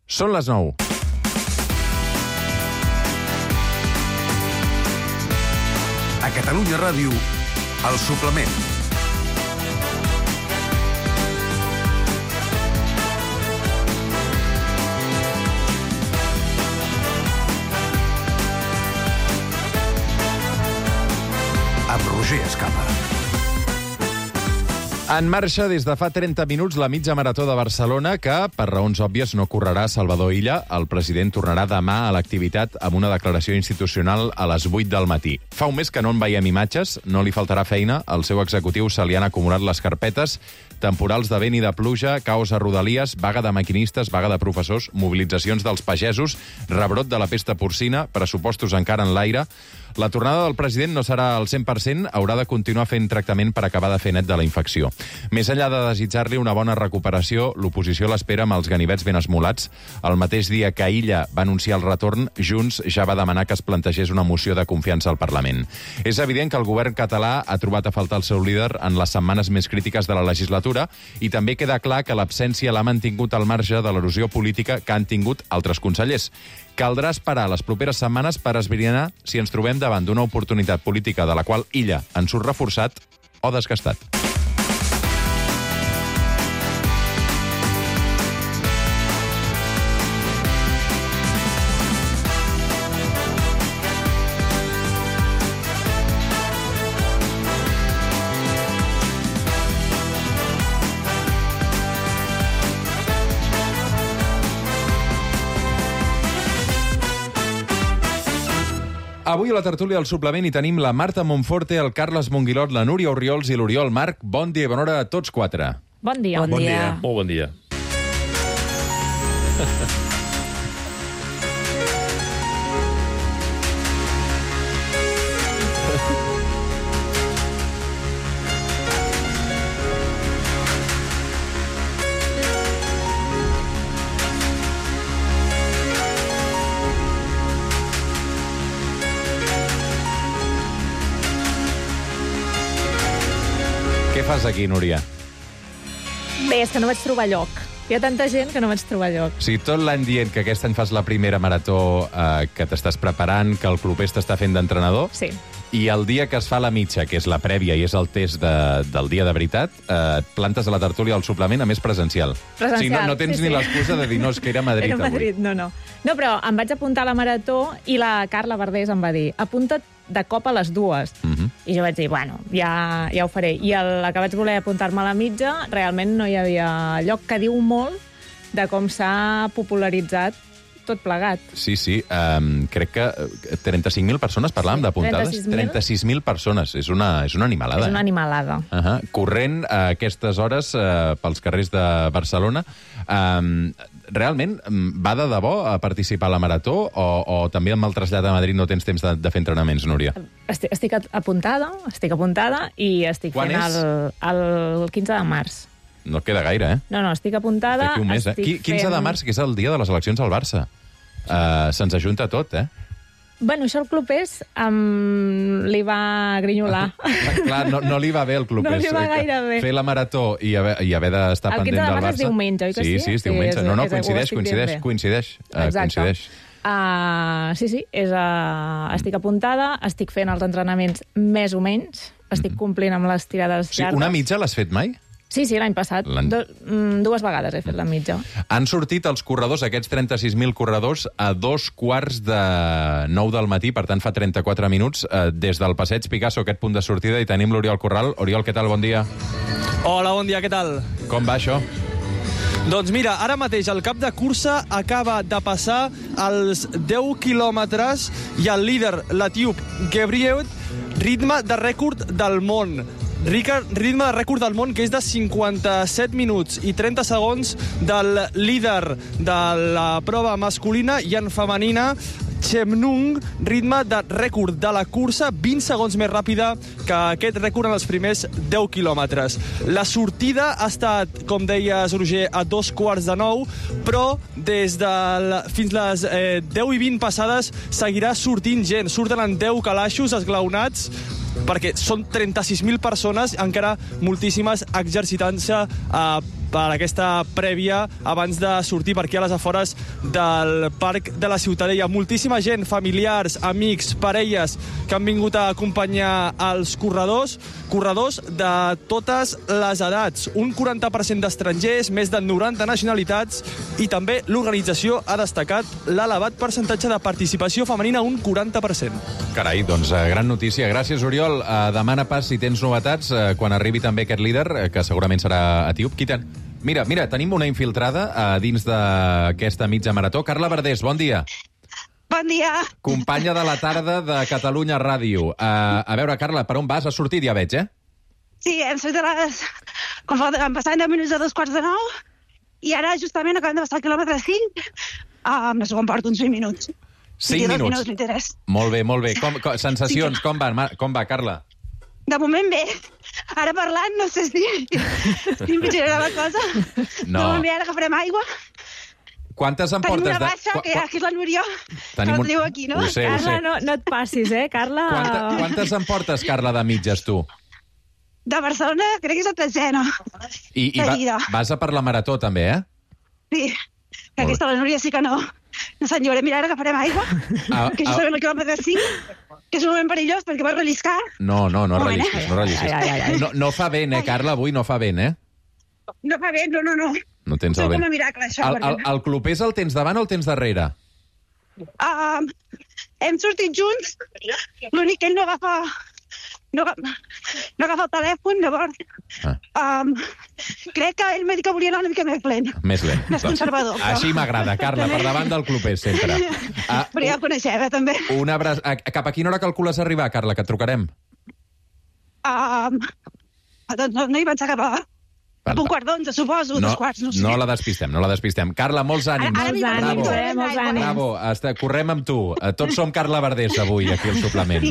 Són les 9. A Catalunya Ràdio, El Suplement. Amb Roger Escapa. En marxa des de fa 30 minuts la mitja marató de Barcelona que, per raons òbvies, no correrà Salvador Illa. El president tornarà demà a l'activitat amb una declaració institucional a les 8 del matí. Fa un mes que no en veiem imatges, no li faltarà feina. Al seu executiu se li han acumulat les carpetes, temporals de vent i de pluja, caos a Rodalies, vaga de maquinistes, vaga de professors, mobilitzacions dels pagesos, rebrot de la pesta porcina, pressupostos encara en l'aire. La tornada del president no serà al 100%, haurà de continuar fent tractament per acabar de fer net de la infecció. Més enllà de desitjar-li una bona recuperació, l'oposició l'espera amb els ganivets ben esmolats. El mateix dia que Illa va anunciar el retorn, Junts ja va demanar que es plantegés una moció de confiança al Parlament. És evident que el govern català ha trobat a faltar el seu líder en les setmanes més crítiques de la legislatura i també queda clar que l'absència l'ha mantingut al marge de l'erosió política que han tingut altres consellers. Caldrà esperar les properes setmanes per esbrinar si ens trobem davant d'una oportunitat política de la qual Illa en surt reforçat o desgastat. Avui a la tertúlia del Suplement hi tenim la Marta Monforte, el Carles Monguilot, la Núria Orriols i l'Oriol Marc. Bon dia i bona hora a tots quatre. Bon dia. Bon dia. Molt bon dia. Què fas aquí, Núria? Bé, és que no vaig trobar lloc. Hi ha tanta gent que no vaig trobar lloc. O sigui, tot l'any dient que aquest any fas la primera marató, que t'estàs preparant, que el clubers t'està fent d'entrenador, Sí. i el dia que es fa la mitja, que és la prèvia i és el test del dia de veritat, et plantes a la tertúlia del Suplement, a més presencial. Presencial, O sigui, no tens sí, ni sí. l'excusa de dir, no, és que era a Madrid Era a Madrid, avui. no. No, però em vaig apuntar a la marató i la Carla Verdés em va dir, apunta't de cop a les 2. I jo vaig dir, bueno, ja ho faré. I a la que vaig voler apuntar-me a la mitja, realment no hi havia lloc, que diu molt de com s'ha popularitzat tot plegat. Sí, crec que 35.000 persones parlàvem d'apuntades. 36.000 persones. És una animalada. És una animalada. Corrent a aquestes hores pels carrers de Barcelona. Realment, va de debò a participar a la marató o també amb el trasllat a Madrid no tens temps de fer entrenaments, Núria? Estic apuntada i estic Quan fent és? el 15 de març. No queda gaire, eh? No, estic apuntada. D'aquí un mes, 15 de març, que és el dia de les eleccions al Barça. Se'ns ajunta tot, eh? Bueno, això el clubers li va grinyolar. Clar, no li va bé el clubers. No li va gaire bé. Fer la marató i haver d'estar pendent del Barça. El 15 de març és diumenge, oi que sí? Sí, és diumenge. No, ho estic dient bé. coincideix. Exacte. Sí, estic apuntada, estic fent els entrenaments més o menys, estic complint amb les tirades llargues. Una mitja l'has fet mai? Sí, l'any passat. 2 vegades he fet la mitja. Han sortit els corredors, aquests 36.000 corredors, a 2:45 del matí, per tant fa 34 minuts, des del Passeig Picasso, aquest punt de sortida, i tenim l'Oriol Corral. Oriol, què tal? Bon dia. Hola, bon dia, què tal? Com va això? Doncs mira, ara mateix el cap de cursa acaba de passar els 10 quilòmetres i el líder, l'etíop Gebrhiaud, ritme de rècord del món. Ritme de rècord del món, que és de 57 minuts i 30 segons del líder de la prova masculina, i en femenina, Chemnung, ritme de rècord de la cursa, 20 segons més ràpida que aquest rècord en els primers 10 quilòmetres. La sortida ha estat, com deies, Roger, a 8:45, però fins les 10 i 20 passades seguirà sortint gent. Surten en 10 calaixos esglaonats, perquè són 36.000 persones, encara moltíssimes, exercitant-se per aquesta prèvia abans de sortir per aquí a les afores del Parc de la Ciutadella. Moltíssima gent, familiars, amics, parelles, que han vingut a acompanyar els corredors de totes les edats. Un 40% d'estrangers, més de 90 nacionalitats, i també l'organització ha destacat l'elevat percentatge de participació femenina, un 40%. Carai, doncs gran notícia. Gràcies, Oriol. Demana pas si tens novetats quan arribi també aquest líder, que segurament serà etíop. Mira, tenim una infiltrada dins d'aquesta mitja marató. Carla Verdés, bon dia. Bon dia. Companya de la tarda de Catalunya Ràdio. A veure, Carla, per on vas? Has sortit, ja veig, Sí, hem sortit han passat 10 minuts de 8:45, i ara justament acabem de passar el quilòmetre 5, no sé quan porto, uns 20 minuts. 5 minuts. M'interès. Molt bé. Sensacions, com va, Carla? De moment bé. Ara parlant, no sé si empitjorarà la cosa. No. De moment bé, ara agafarem aigua. Quantes en portes? Tenim una baixa, que aquí és la Núria, que la teniu aquí, no? Ho sé. Carla, no et passis, Carla? Quantes en portes, Carla, de mitges, tu? De Barcelona, crec que és la tretzena. I vas a per la marató, també, Sí, que aquesta la Núria sí que no s'enllora. Mira, ara agafarem aigua, que justament el quilòmetre 5, que és un moment perillós perquè vas relliscar. No rellisquis. No fa vent, Carla, avui no fa vent, No fa vent, no. No tens el vent. Com a miracle, això. El clubers el tens davant o el tens darrere? Hem sortit junts, l'únic que ell no agafa el telèfon, llavors crec que ell m'ha dit que volia anar una mica més lent. Més lent. Més conservador. Així m'agrada, Carla, per davant del clubers, sempre. Però ja el coneixem, també. Cap a quina hora calcules arribar, Carla, que et trucarem? Doncs no hi vaig acabar. Un quart d'11, suposo, 2 quarts, no sé. No la despistem. Carla, molts ànims. Molts ànims. Bravo, correm amb tu. Tots som Carla Verdés avui, aquí al suplement.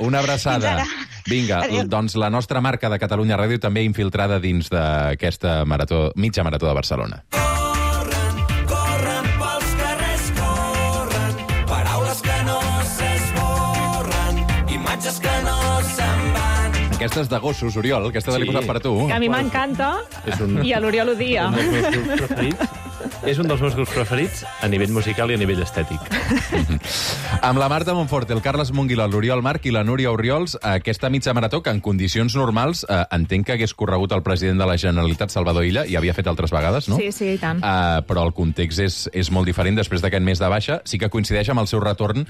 Una abraçada. Vinga, doncs la nostra marca de Catalunya Ràdio també infiltrada dins d'aquesta mitja marató de Barcelona. Corren pels carrers, corren, paraules que no s'esborren, imatges que no se'n van. Aquesta és de gossos, Oriol, aquesta l'he posat per tu. Que a mi m'encanta, i a l'Oriol ho dia. És un dels meus grups preferits a nivell musical i a nivell estètic. Amb la Marta Monforte, el Carles Monguilà, l'Oriol Marc i la Núria Oriols, aquesta mitja marató que en condicions normals entenc que hagués corregut el president de la Generalitat, Salvador Illa, i havia fet altres vegades, no? Sí, i tant. Però el context és molt diferent després d'aquest mes de baixa. Sí que coincideix amb el seu retorn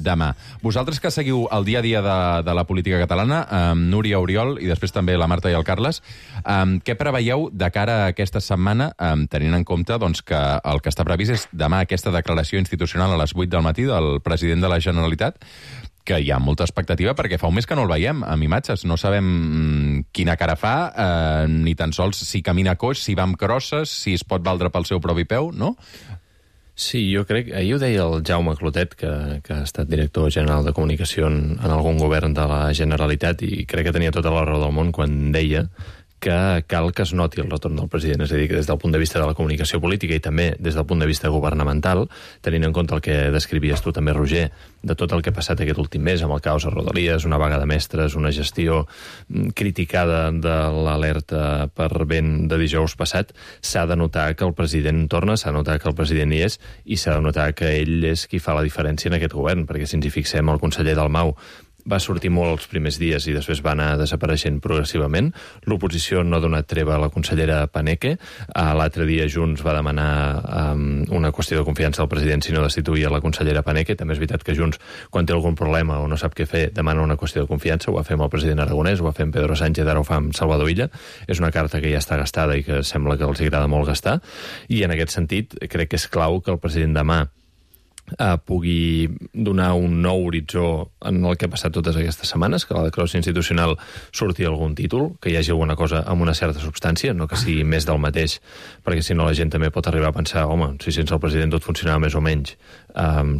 demà. Vosaltres que seguiu el dia a dia de la política catalana, Núria, Oriol, i després també la Marta i el Carles, què preveieu de cara a aquesta setmana, tenint en compte doncs, que el que està previst és demà aquesta declaració institucional a les 8 del matí del president de la Generalitat, que hi ha molta expectativa perquè fa un mes que no el veiem amb imatges. No sabem quina cara fa, ni tan sols si camina coix, si va amb crosses, si es pot valdre pel seu propi peu, no? Sí, jo crec... Ahir ho deia el Jaume Clotet, que ha estat director general de comunicació en algun govern de la Generalitat, i crec que tenia tota la raó del món quan deia que cal que es noti el retorn del president. És a dir, que des del punt de vista de la comunicació política i també des del punt de vista governamental, tenint en compte el que descrivies tu també, Roger, de tot el que ha passat aquest últim mes amb el caos a Rodalies, una vaga de mestres, una gestió criticada de l'alerta per vent de dijous passat, s'ha de notar que el president torna, s'ha de notar que el president hi és, i s'ha de notar que ell és qui fa la diferència en aquest govern, perquè si ens hi fixem, el conseller Dalmau va sortir molt els primers dies i després va anar desapareixent progressivament. L'oposició no ha donat treva a la consellera Paneque. L'altre dia Junts va demanar una qüestió de confiança al president si no destituïa la consellera Paneque. També és veritat que Junts, quan té algun problema o no sap què fer, demana una qüestió de confiança. Ho va fer amb el president Aragonès, ho va fer amb Pedro Sánchez, ara ho fa amb Salvador Illa. És una carta que ja està gastada i que sembla que els agrada molt gastar. I en aquest sentit crec que és clau que el president demà pugui donar un nou horitzó en el que ha passat totes aquestes setmanes, que la declaració institucional surti algun títol, que hi hagi alguna cosa amb una certa substància, no que sigui més del mateix, perquè si no la gent també pot arribar a pensar, home, si sense el president tot funcionava més o menys,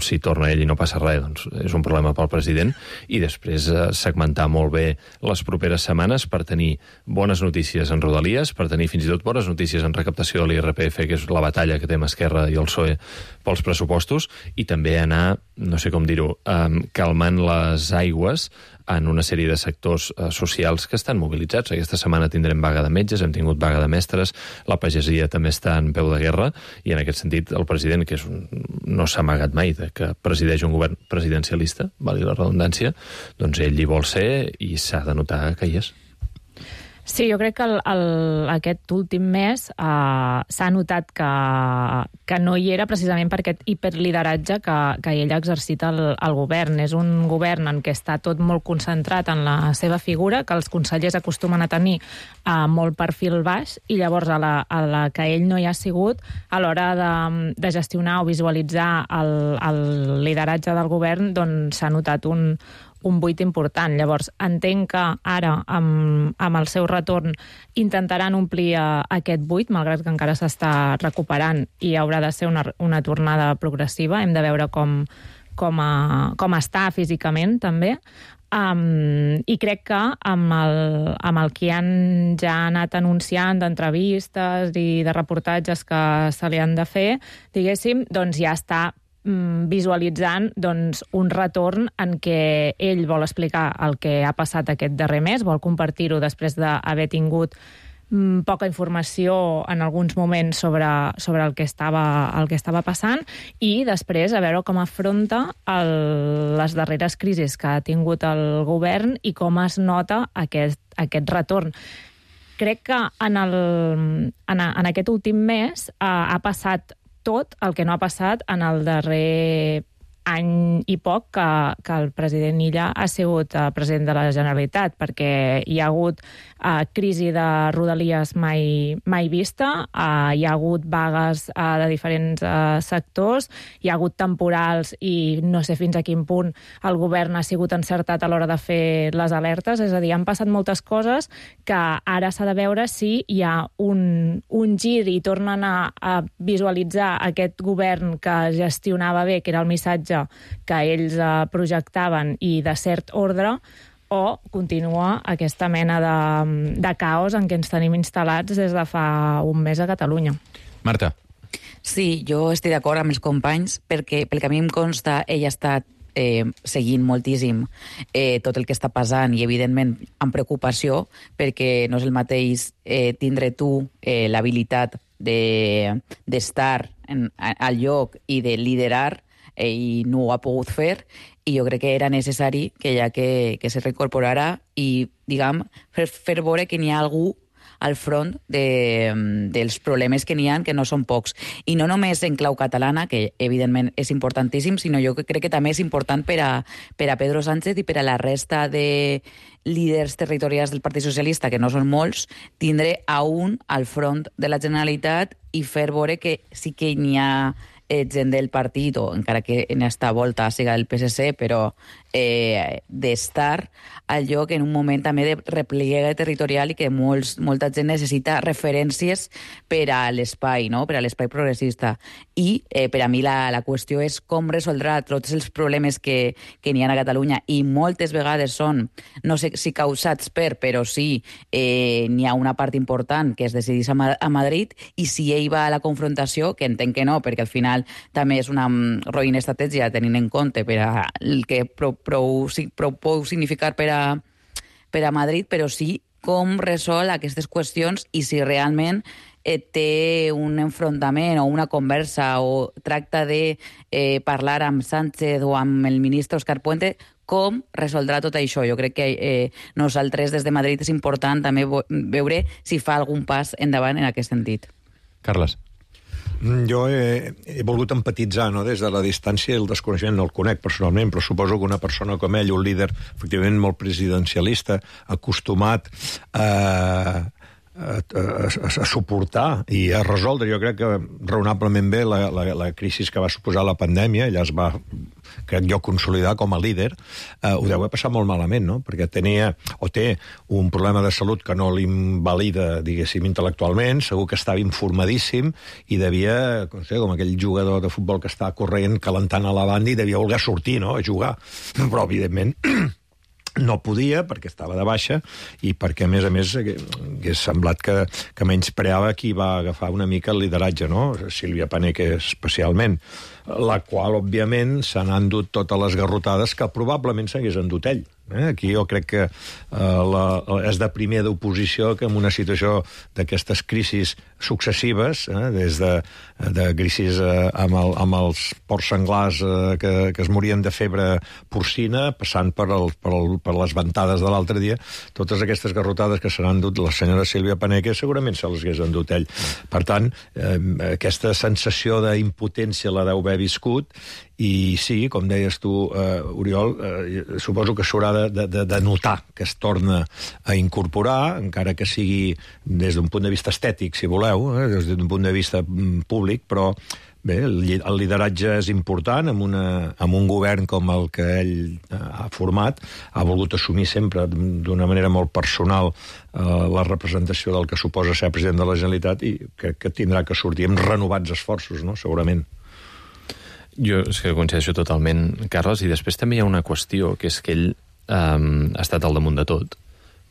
si torna ell i no passa res, doncs és un problema pel president, i després segmentar molt bé les properes setmanes per tenir bones notícies en Rodalies, per tenir fins i tot bones notícies en recaptació de l'IRPF, que és la batalla que té amb Esquerra i el PSOE pels pressupostos, i també anar, no sé com dir-ho, calmant les aigües en una sèrie de sectors socials que estan mobilitzats. Aquesta setmana tindrem vaga de metges, hem tingut vaga de mestres, la pagesia també està en peu de guerra, i en aquest sentit el president, que no s'ha amagat mai de que presideix un govern presidencialista, valgui la redundància, doncs ell hi vol ser i s'ha de notar que hi és. Sí, jo crec que aquest últim mes s'ha notat que no hi era precisament per aquest hiperlideratge que ell ha exercit al govern. És un govern en què està tot molt concentrat en la seva figura, que els consellers acostumen a tenir molt perfil baix, i llavors a la que ell no hi ha sigut, a l'hora de gestionar o visualitzar el lideratge del govern, doncs s'ha notat un buit important. Llavors, entenc que ara, amb el seu retorn, intentaran omplir aquest buit, malgrat que encara s'està recuperant i haurà de ser una tornada progressiva. Hem de veure com està físicament, també. I crec que amb el que ja ha anat anunciant d'entrevistes i de reportatges que se li han de fer, diguéssim, doncs ja està visualitzant un retorn en què ell vol explicar el que ha passat aquest darrer mes, vol compartir-ho després d'haver tingut poca informació en alguns moments sobre el que estava passant, i després a veure com afronta les darreres crisis que ha tingut el govern i com es nota aquest retorn. Crec que en aquest últim mes ha passat tot el que no ha passat en el darrer any i poc que el president Illa ha sigut president de la Generalitat, perquè hi ha hagut crisi de Rodalies mai vista, hi ha hagut vagues de diferents sectors, hi ha hagut temporals i no sé fins a quin punt el govern ha sigut encertat a l'hora de fer les alertes. És a dir, han passat moltes coses que ara s'ha de veure si hi ha un gir i tornen a visualitzar aquest govern que gestionava bé, que era el missatge que ells projectaven i de cert ordre, o continua aquesta mena de caos en què ens tenim instal·lats des de fa un mes a Catalunya. Marta. Sí, jo estic d'acord amb els companys, perquè pel que a mi em consta, ell ha estat seguint moltíssim tot el que està passant i, evidentment, amb preocupació, perquè no és el mateix tindre tu l'habilitat d'estar al lloc i de liderar, i no ho ha pogut fer, i jo crec que era necessari que ja que se reincorporara i, diguem, fer veure que n'hi ha algú al front dels problemes que n'hi ha, que no són pocs. I no només en clau catalana, que evidentment és importantíssim, sinó jo crec que també és important per a Pedro Sánchez i per a la resta de líders territorials del Partit Socialista, que no són molts, tindre a un al front de la Generalitat i fer veure que sí que n'hi ha gent del partit, o encara que en esta volta siga del PSC, però d'estar al lloc en un moment també de repliegue territorial i que molta gent necessita referències per a l'espai, no? Per a l'espai progressista. I per a mi la qüestió és com resoldrà tots els problemes que n'hi ha a Catalunya, i moltes vegades són, no sé si causats però sí n'hi ha una part important que es decidís a Madrid, i si ell va a la confrontació, que entenc que no, perquè al final també és una roïna estratègia tenint en compte per a el que prou significar per a Madrid, però sí com resol aquestes qüestions i si realment té un enfrontament o una conversa o tracta de parlar amb Sánchez o amb el ministre Òscar Puente, com resoldrà tot això. Jo crec que nosaltres des de Madrid és important també veure si fa algun pas endavant en aquest sentit. Carles. Jo he volgut empatitzar, no?, des de la distància i el desconeixement. No el conec personalment, però suposo que una persona com ell, un líder efectivament molt presidencialista, acostumat a suportar i a resoldre, jo crec que raonablement bé la crisi que va suposar la pandèmia. Ella es va, crec jo, consolidar com a líder. Ho deu haver passat molt malament, no?, perquè té un problema de salut que no l'invalida, diguéssim, intel·lectualment. Segur que estava informadíssim i devia, no sé, com aquell jugador de futbol que està corrent, calentant a la banda, i devia voler sortir, no?, a jugar. Però, evidentment, no podia, perquè estava de baixa, i perquè, a més, hagués semblat que menyspreava qui va agafar una mica el lideratge, no? Sílvia Paneque especialment, la qual, òbviament, se n'ha endut totes les garrotades que probablement s'hagués endut ell. Aquí jo crec que és de primer d'oposició que en una situació d'aquestes crisis successives, des de crisis amb els porcs senglars que es morien de febre porcina, passant per les ventades de l'altre dia, totes aquestes garrotades que se n'han endut la senyora Sílvia Paneque segurament se les hagués endut ell. Per tant, aquesta sensació d'impotència la deu haver viscut, i sí, com deies tu, Oriol, suposo que s'haurà de notar que es torna a incorporar, encara que sigui des d'un punt de vista estètic, si voleu, des d'un punt de vista públic, però bé, el lideratge és important amb un govern com el que ell ha format, ha volgut assumir sempre d'una manera molt personal la representació del que suposa ser president de la Generalitat, i crec que tindrà que sortir amb renovats esforços, no? Segurament. Jo és que coincideixo totalment, Carles, i després també hi ha una qüestió, que és que ell ha estat al damunt de tot,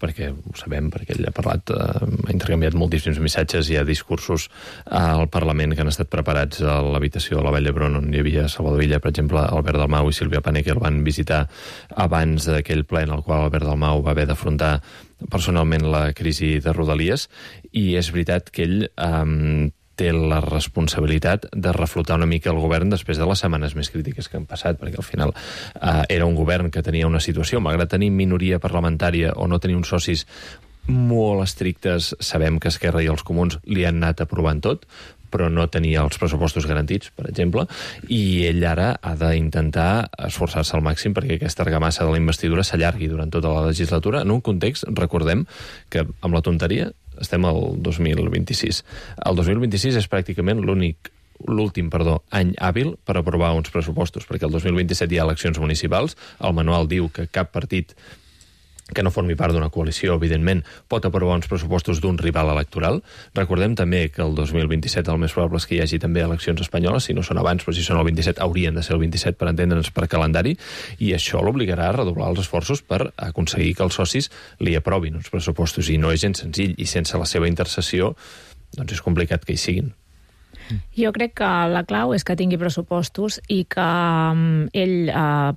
perquè ho sabem, perquè ell ha parlat, ha intercanviat moltíssims missatges, hi ha discursos al Parlament que han estat preparats a l'habitació de la Vall d'Hebron, on hi havia Salvador Illa, per exemple, Albert Dalmau i Sílvia Paneque el van visitar abans d'aquell ple en el qual Albert Dalmau va haver d'afrontar personalment la crisi de Rodalies, i és veritat que ell té la responsabilitat de reflotar una mica el govern després de les setmanes més crítiques que han passat, perquè al final era un govern que tenia una situació, malgrat tenir minoria parlamentària o no tenir uns socis molt estrictes, sabem que Esquerra i els Comuns li han anat aprovant tot, però no tenia els pressupostos garantits, per exemple, i ell ara ha d'intentar esforçar-se al màxim perquè aquesta argamassa de la investidura s'allargui durant tota la legislatura, en un context, recordem, que amb la tonteria estem al 2026. El 2026 és pràcticament l'últim any hàbil per aprovar uns pressupostos, perquè el 2027 hi ha eleccions municipals, el manual diu que cap partit que no formi part d'una coalició, evidentment, pot aprovar uns pressupostos d'un rival electoral. Recordem també que el 2027 el més probable és que hi hagi també eleccions espanyoles, si no són abans, però si són el 27, haurien de ser el 27 per entendre'ns per calendari, i això l'obligarà a redoblar els esforços per aconseguir que els socis li aprovin uns pressupostos, i no és gens senzill, i sense la seva intercessió doncs és complicat que hi siguin. Jo crec que la clau és que tingui pressupostos i que ell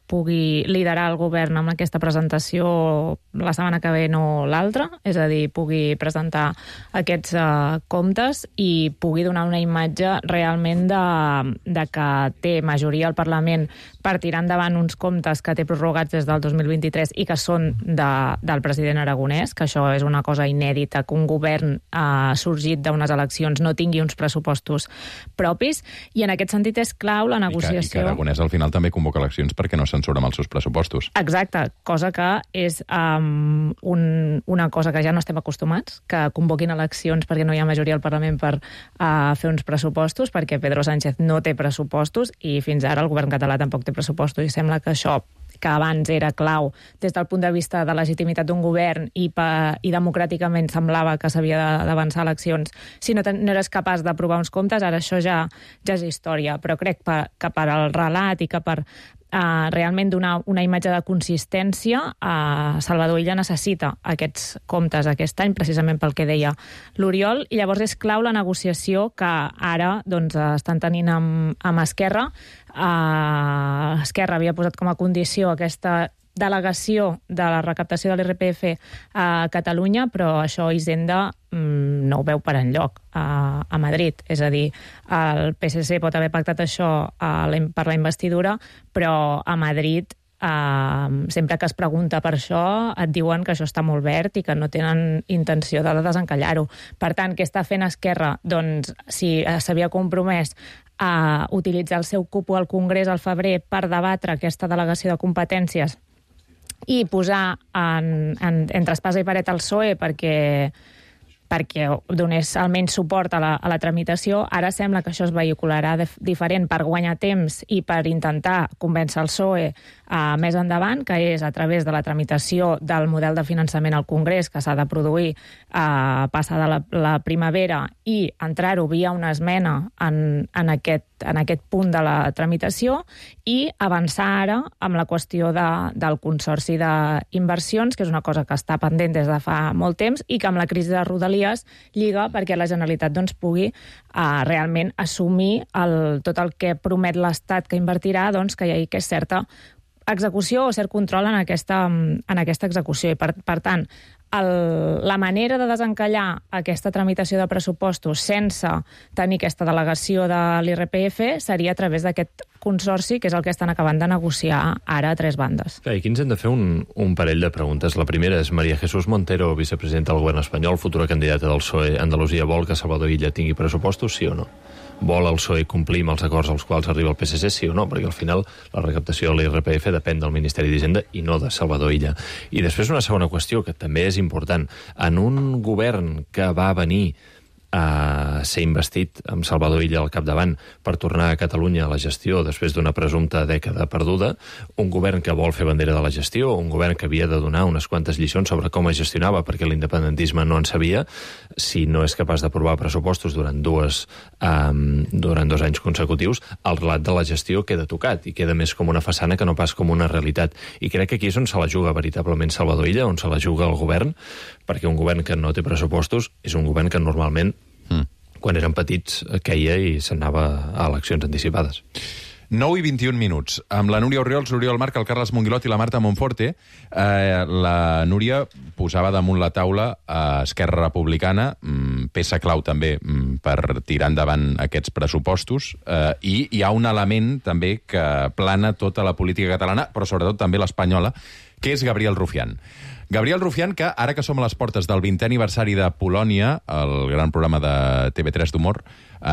pugui liderar el govern amb aquesta presentació la setmana que ve, no l'altra, és a dir, pugui presentar aquests comptes i pugui donar una imatge realment de que té majoria al Parlament per tirar endavant uns comptes que té prorrogats des del 2023 i que són del president Aragonès, que això és una cosa inèdita, que un govern sorgit d'unes eleccions no tingui uns pressupostos propis, i en aquest sentit és clau la negociació. I que Aragonès al final també convoca eleccions perquè no se'n surt amb els seus pressupostos. Exacte, cosa que és una cosa que ja no estem acostumats, que convoquin eleccions perquè no hi ha majoria al Parlament per fer uns pressupostos, perquè Pedro Sánchez no té pressupostos i fins ara el govern català tampoc té pressupostos, i sembla que això, que abans era clau des del punt de vista de legitimitat d'un govern i democràticament semblava que s'havia d'avançar eleccions, si no eres capaç d'aprovar uns comptes, ara això ja és història. Però crec que per al relat i que per realment donar una imatge de consistència, Salvador Illa necessita aquests comptes aquest any, precisament pel que deia l'Oriol, i llavors és clau la negociació que ara estan tenint amb Esquerra. Esquerra havia posat com a condició aquesta delegació de la recaptació de l'IRPF a Catalunya, però això Hisenda no ho veu per enlloc a Madrid. És a dir, el PSC pot haver pactat això per la investidura, però a Madrid sempre que es pregunta per això et diuen que això està molt verd i que no tenen intenció de desencallar-ho. Per tant, què està fent Esquerra? Doncs si s'havia compromès a utilitzar el seu cupo al Congrés al febrer per debatre aquesta delegació de competències i posar entre espasa i paret al PSOE perquè perquè donés almenys suport a la tramitació. Ara sembla que això es vehicularà diferent per guanyar temps i per intentar convèncer el PSOE més endavant, que és a través de la tramitació del model de finançament al Congrés que s'ha de produir passada la primavera i entrar-ho via una esmena en aquest punt de la tramitació i avançar ara amb la qüestió del Consorci d'Inversions, que és una cosa que està pendent des de fa molt temps i que amb la crisi de Rodalies lliga perquè la Generalitat pugui realment assumir tot el que promet l'Estat que invertirà, que hi hagi certa execució o cert control en aquesta execució. I, per tant, la manera de desencallar aquesta tramitació de pressupostos sense tenir aquesta delegació de l'IRPF seria a través d'aquest consorci, que és el que estan acabant de negociar ara a tres bandes. I aquí ens hem de fer un parell de preguntes. La primera és María Jesús Montero, vicepresidenta del govern espanyol, futura candidata del PSOE a Andalusia, vol que Salvador Illa tingui pressupostos, sí o no? Vol el PSOE complir amb els acords als quals arriba el PSC, sí o no? Perquè al final la recaptació de l'IRPF depèn del Ministeri d'Hisenda i no de Salvador Illa. I després una segona qüestió, que també és important. En un govern que va venir a ser investit amb Salvador Illa al capdavant per tornar a Catalunya a la gestió després d'una presumpta dècada perduda, un govern que vol fer bandera de la gestió, un govern que havia de donar unes quantes lliçons sobre com es gestionava perquè l'independentisme no en sabia, si no és capaç d'aprovar pressupostos durant 2 anys consecutius, el relat de la gestió queda tocat i queda més com una façana que no pas com una realitat. I crec que aquí és on se la juga veritablement Salvador Illa, on se la juga el govern, perquè un govern que no té pressupostos és un govern que normalment quan eren petits queia i s'anava a eleccions anticipades. 9 i 21 minuts. Amb la Núria Orriols, l'Oriol Marc, el Carles Monguilot i la Marta Monforte, la Núria posava damunt la taula a Esquerra Republicana, peça clau també per tirar endavant aquests pressupostos, i hi ha un element també que plana tota la política catalana, però sobretot també l'espanyola, que és Gabriel Rufián. Gabriel Rufián, que ara que som a les portes del 20è aniversari de Polònia, el gran programa de TV3 d'humor,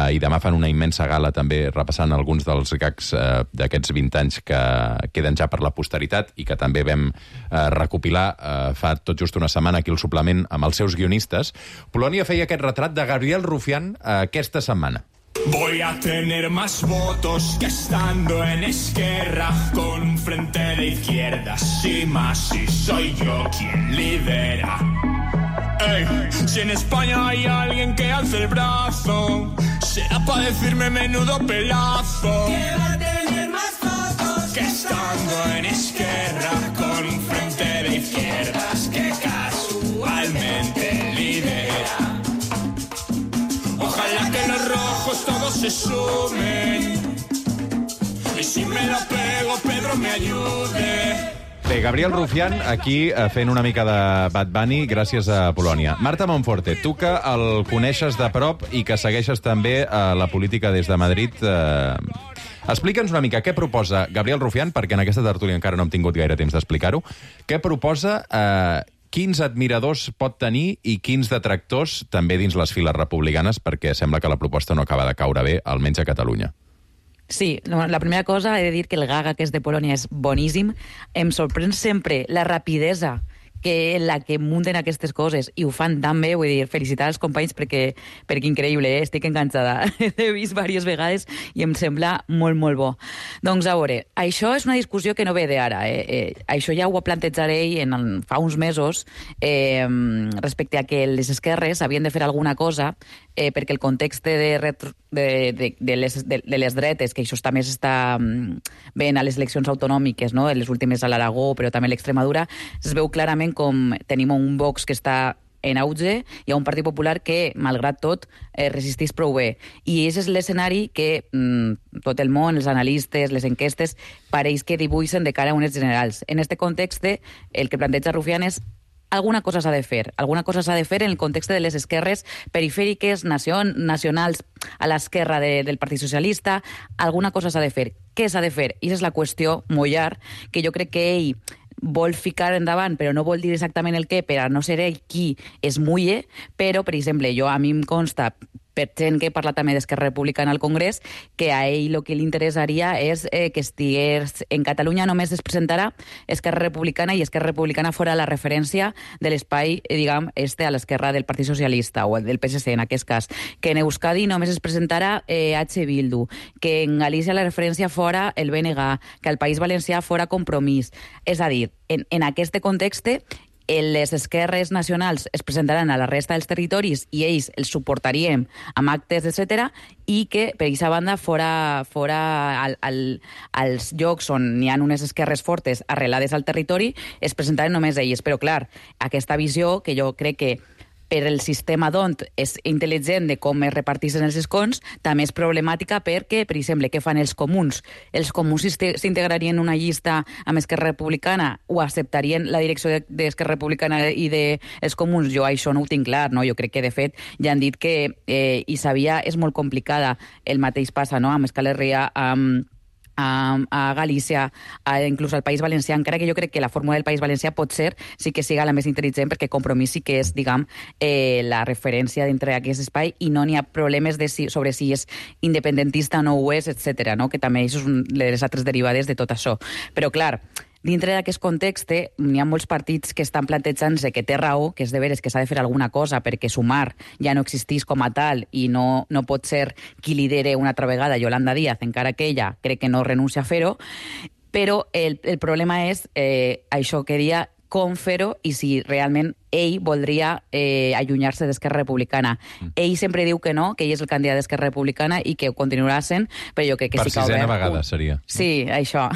i demà fan una immensa gala també repassant alguns dels gags d'aquests 20 anys que queden ja per la posteritat i que també vam recopilar fa tot just una setmana aquí al suplement amb els seus guionistes. Polònia feia aquest retrat de Gabriel Rufián aquesta setmana. Voy a tener más votos que estando en Esquerra con un frente de izquierdas y más si soy yo quien lidera. Ey, si en España hay alguien que alce el brazo, será para decirme menudo pelazo. Que va a tener más votos que estando en Esquerra con un frente de izquierdas que casualmente lidera. Ojalá que los rojos todos se sumen y si me la pego Pedro me ayude. Bé, Gabriel Rufián aquí fent una mica de Bad Bunny gràcies a Polònia. Marta Monforte, tu que el coneixes de prop i que segueixes també la política des de Madrid, explica'ns una mica què proposa Gabriel Rufián, perquè en aquesta tertúlia encara no hem tingut gaire temps d'explicar-ho. Què proposa, quins admiradors pot tenir i quins detractors també dins les files republicanes, perquè sembla que la proposta no acaba de caure bé, almenys a Catalunya. Sí, la primera cosa he de dir que el gag aquest de Polònia és boníssim. Em sorprèn sempre la rapidesa la que munten aquestes coses i ho fan tan bé, vull dir, felicitar els companys perquè increïble, estic enganxada. He vist diverses vegades i em sembla molt, molt bo. Doncs a veure, això és una discussió que no ve d'ara. Això ja ho plantejaré fa uns mesos respecte a que les esquerres havien de fer alguna cosa perquè el context de les dretes, que això també s'està veient a les eleccions autonòmiques, no? Les últimes a l'Aragó, però també a l'Extremadura, es veu clarament com tenim un Vox que està en auge i a un Partit Popular que, malgrat tot, resisteix prou bé. I aquest és l'escenari que tot el món, els analistes, les enquestes, pareix que dibuixen de cara a unes generals. En aquest context, el que planteja Rufián és alguna cosa s'ha de fer. Alguna cosa s'ha de fer en el context de les esquerres perifèriques, nacionals a l'esquerra del Partit Socialista. Alguna cosa s'ha de fer. Què s'ha de fer? I aquesta és la qüestió mollar, que jo crec que ell vol ficar endavant, però no vol dir exactament el què, per a no ser ell qui es mulle, però, per exemple, a mi em consta, per gent que parla també d'Esquerra Republicana al Congrés, que a ell el que li interessaria és que estigués en Catalunya només es presentarà Esquerra Republicana i Esquerra Republicana fora la referència de l'espai, diguem, a l'esquerra del Partit Socialista o del PSC en aquest cas, que en Euskadi només es presentarà H. Bildu, que en Galícia la referència fora el BNG, que al País Valencià fora Compromís. És a dir, en aquest context, les esquerres nacionals es presentaran a la resta dels territoris i ells els suportaríem amb actes, etc. i que, per aquesta banda, fora als llocs on hi ha unes esquerres fortes arrelades al territori, es presentaren només ells. Però, clar, aquesta visió, que jo crec que per el sistema d'ont és intel·ligent de com es reparteixen els escons, també és problemàtica perquè, per exemple, què fan els comuns? Els comuns s'integrarien en una llista amb Esquerra Republicana o acceptarien la direcció d'Esquerra Republicana i dels comuns? Jo això no ho tinc clar, no? Jo crec que, de fet, ja han dit que Isabia és molt complicada. El mateix passa, no?, amb Euskal Herria, a Galícia, inclús al País Valencià, encara que jo crec que la fórmula del País Valencià pot ser sí que siga la més intel·ligent, perquè Compromís sí que és, diguem, la referència dintre d'aquest espai i no n'hi ha problemes sobre si és independentista o no ho és, etc. No? Que també això és de les altres derivades de tot això. Però, clar, dintre d'aquest context n'hi ha molts partits que estan plantejant-se que té raó, que és de veres que s'ha de fer alguna cosa perquè Sumar ja no existís com a tal i no pot ser qui lidere una altra vegada Yolanda Díaz, encara que ella crec que no renuncia a fer-ho, però el problema és això que deia, com fer-ho i si realment ell voldria allunyar-se d'Esquerra Republicana. Ell sempre diu que no, que ell és el candidat d'Esquerra Republicana i que ho continuarà sent, però jo crec que per sí que ha obert... Per sisena vegada seria. Sí, això.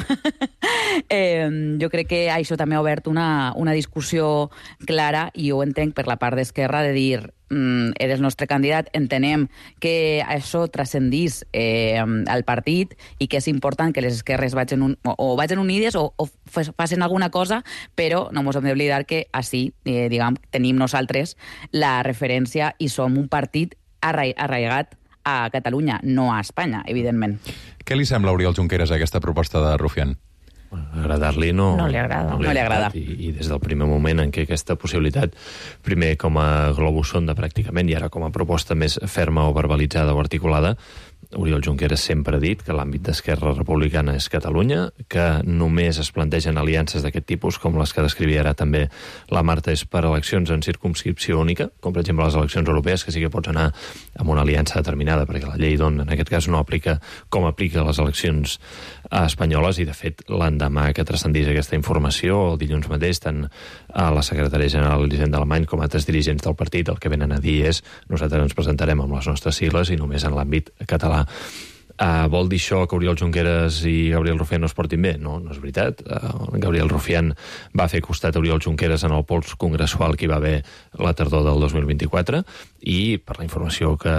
Jo crec que això també ha obert una discussió clara i ho entenc per la part d'Esquerra de dir eres el nostre candidat, entenem que això transcendís al partit i que és important que les esquerres vagin unides o facin alguna cosa, però no ens hem d'oblidar que així, diguem, tenim nosaltres la referència i som un partit arraigat a Catalunya, no a Espanya, evidentment. Què li sembla a Oriol Junqueras aquesta proposta de Rufián? Agradar-li no li agrada. No li agrada. I des del primer moment en què aquesta possibilitat, primer com a globus sonda pràcticament i ara com a proposta més ferma o verbalitzada o articulada, Oriol Junqueras sempre ha dit que l'àmbit d'Esquerra Republicana és Catalunya, que només es plantegen aliances d'aquest tipus, com les que descrivia ara també la Marta, és per eleccions en circumscripció única, com per exemple les eleccions europees, que sí que pots anar amb una aliança determinada, perquè la llei d'on en aquest cas no aplica com aplica les eleccions espanyoles, i de fet l'endemà que transcendís aquesta informació, el dilluns mateix, tant a la secretària general Elisenda Alemany com a altres dirigents del partit el que venen a dir és nosaltres ens presentarem amb les nostres sigles i només en l'àmbit català. Vol dir això que Oriol Junqueras i Gabriel Rufián no es portin bé? No, no és veritat. Gabriel Rufián va fer costat a Oriol Junqueras en el pols congressual que hi va haver la tardor del 2024 i, per la informació que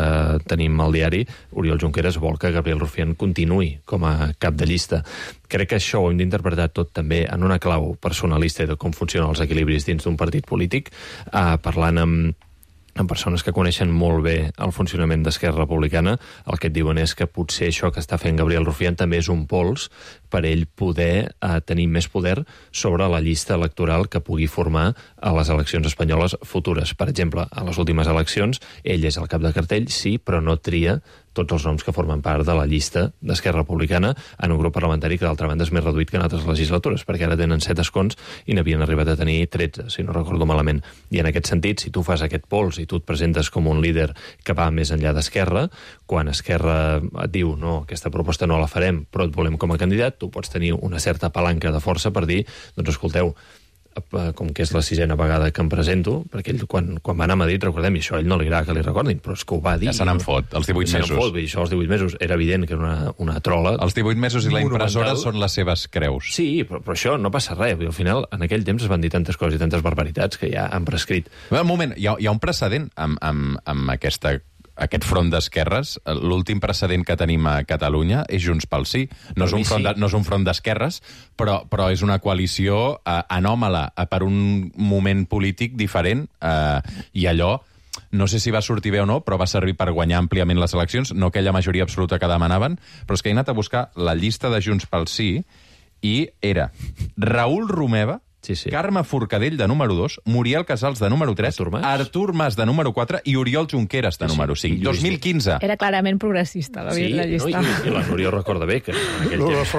tenim al diari, Oriol Junqueras vol que Gabriel Rufián continuï com a cap de llista. Crec que això ho hem d'interpretar tot també en una clau personalista de com funcionen els equilibris dins d'un partit polític, parlant amb persones que coneixen molt bé el funcionament d'Esquerra Republicana. El que et diuen és que potser això que està fent Gabriel Rufián també és un pols per ell poder tenir més poder sobre la llista electoral que pugui formar a les eleccions espanyoles futures. Per exemple, a les últimes eleccions, ell és el cap de cartell, sí, però no tria tots els noms que formen part de la llista d'Esquerra Republicana en un grup parlamentari que, d'altra banda, és més reduït que en altres legislatures, perquè ara tenen 7 escons i n'havien arribat a tenir 13, si no recordo malament. I en aquest sentit, si tu fas aquest pols i tu et presentes com un líder que va més enllà d'Esquerra, quan Esquerra et diu no, aquesta proposta no la farem, però et volem com a candidat, tu pots tenir una certa palanca de força per dir, doncs escolteu, com que és la 6a vegada que em presento, perquè ell quan va anar a Madrid, recordem, i això a ell no li agrada que li recordin, però és que ho va dir. Ja se n'en fot, els 18 mesos. I això als 18 mesos era evident que era una trola. Els 18 mesos i la impressora són les seves creus. Sí, però això no passa res. Al final, en aquell temps es van dir tantes coses i tantes barbaritats que ja han prescrit. Un moment, hi ha un precedent amb aquest front d'esquerres. L'últim precedent que tenim a Catalunya és Junts pel Sí. No és un front d'esquerres, però és una coalició anòmala per un moment polític diferent, i allò no sé si va sortir bé o no, però va servir per guanyar àmpliament les eleccions, no aquella majoria absoluta que demanaven, però és que he anat a buscar la llista de Junts pel Sí i era Raül Romeva, Carme Forcadell, de número 2, Muriel Casals, de número 3, Artur Mas, de número 4, i Oriol Junqueras, de número 5. 2015. Era clarament progressista, la llista. I la Núria ho recorda bé, que en aquell temps...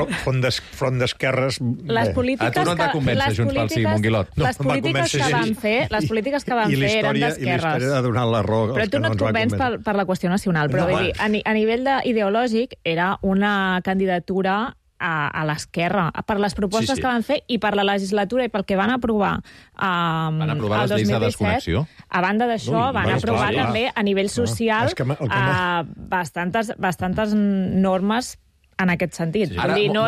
Front d'esquerres... Les polítiques a tu no t'ha convèncer, Junts pel Sí, Monguilot. Les polítiques que van fer eren d'esquerres. I l'història ha donat la raó. Però tu no et convenç per la qüestió nacional. Però a nivell ideològic era una candidatura a l'esquerra, per les propostes que van fer i per la legislatura i pel que van aprovar van aprovar les lleis de desconnexió. A banda d'això, van aprovar també a nivell social bastantes normes en aquest sentit. Vull dir, no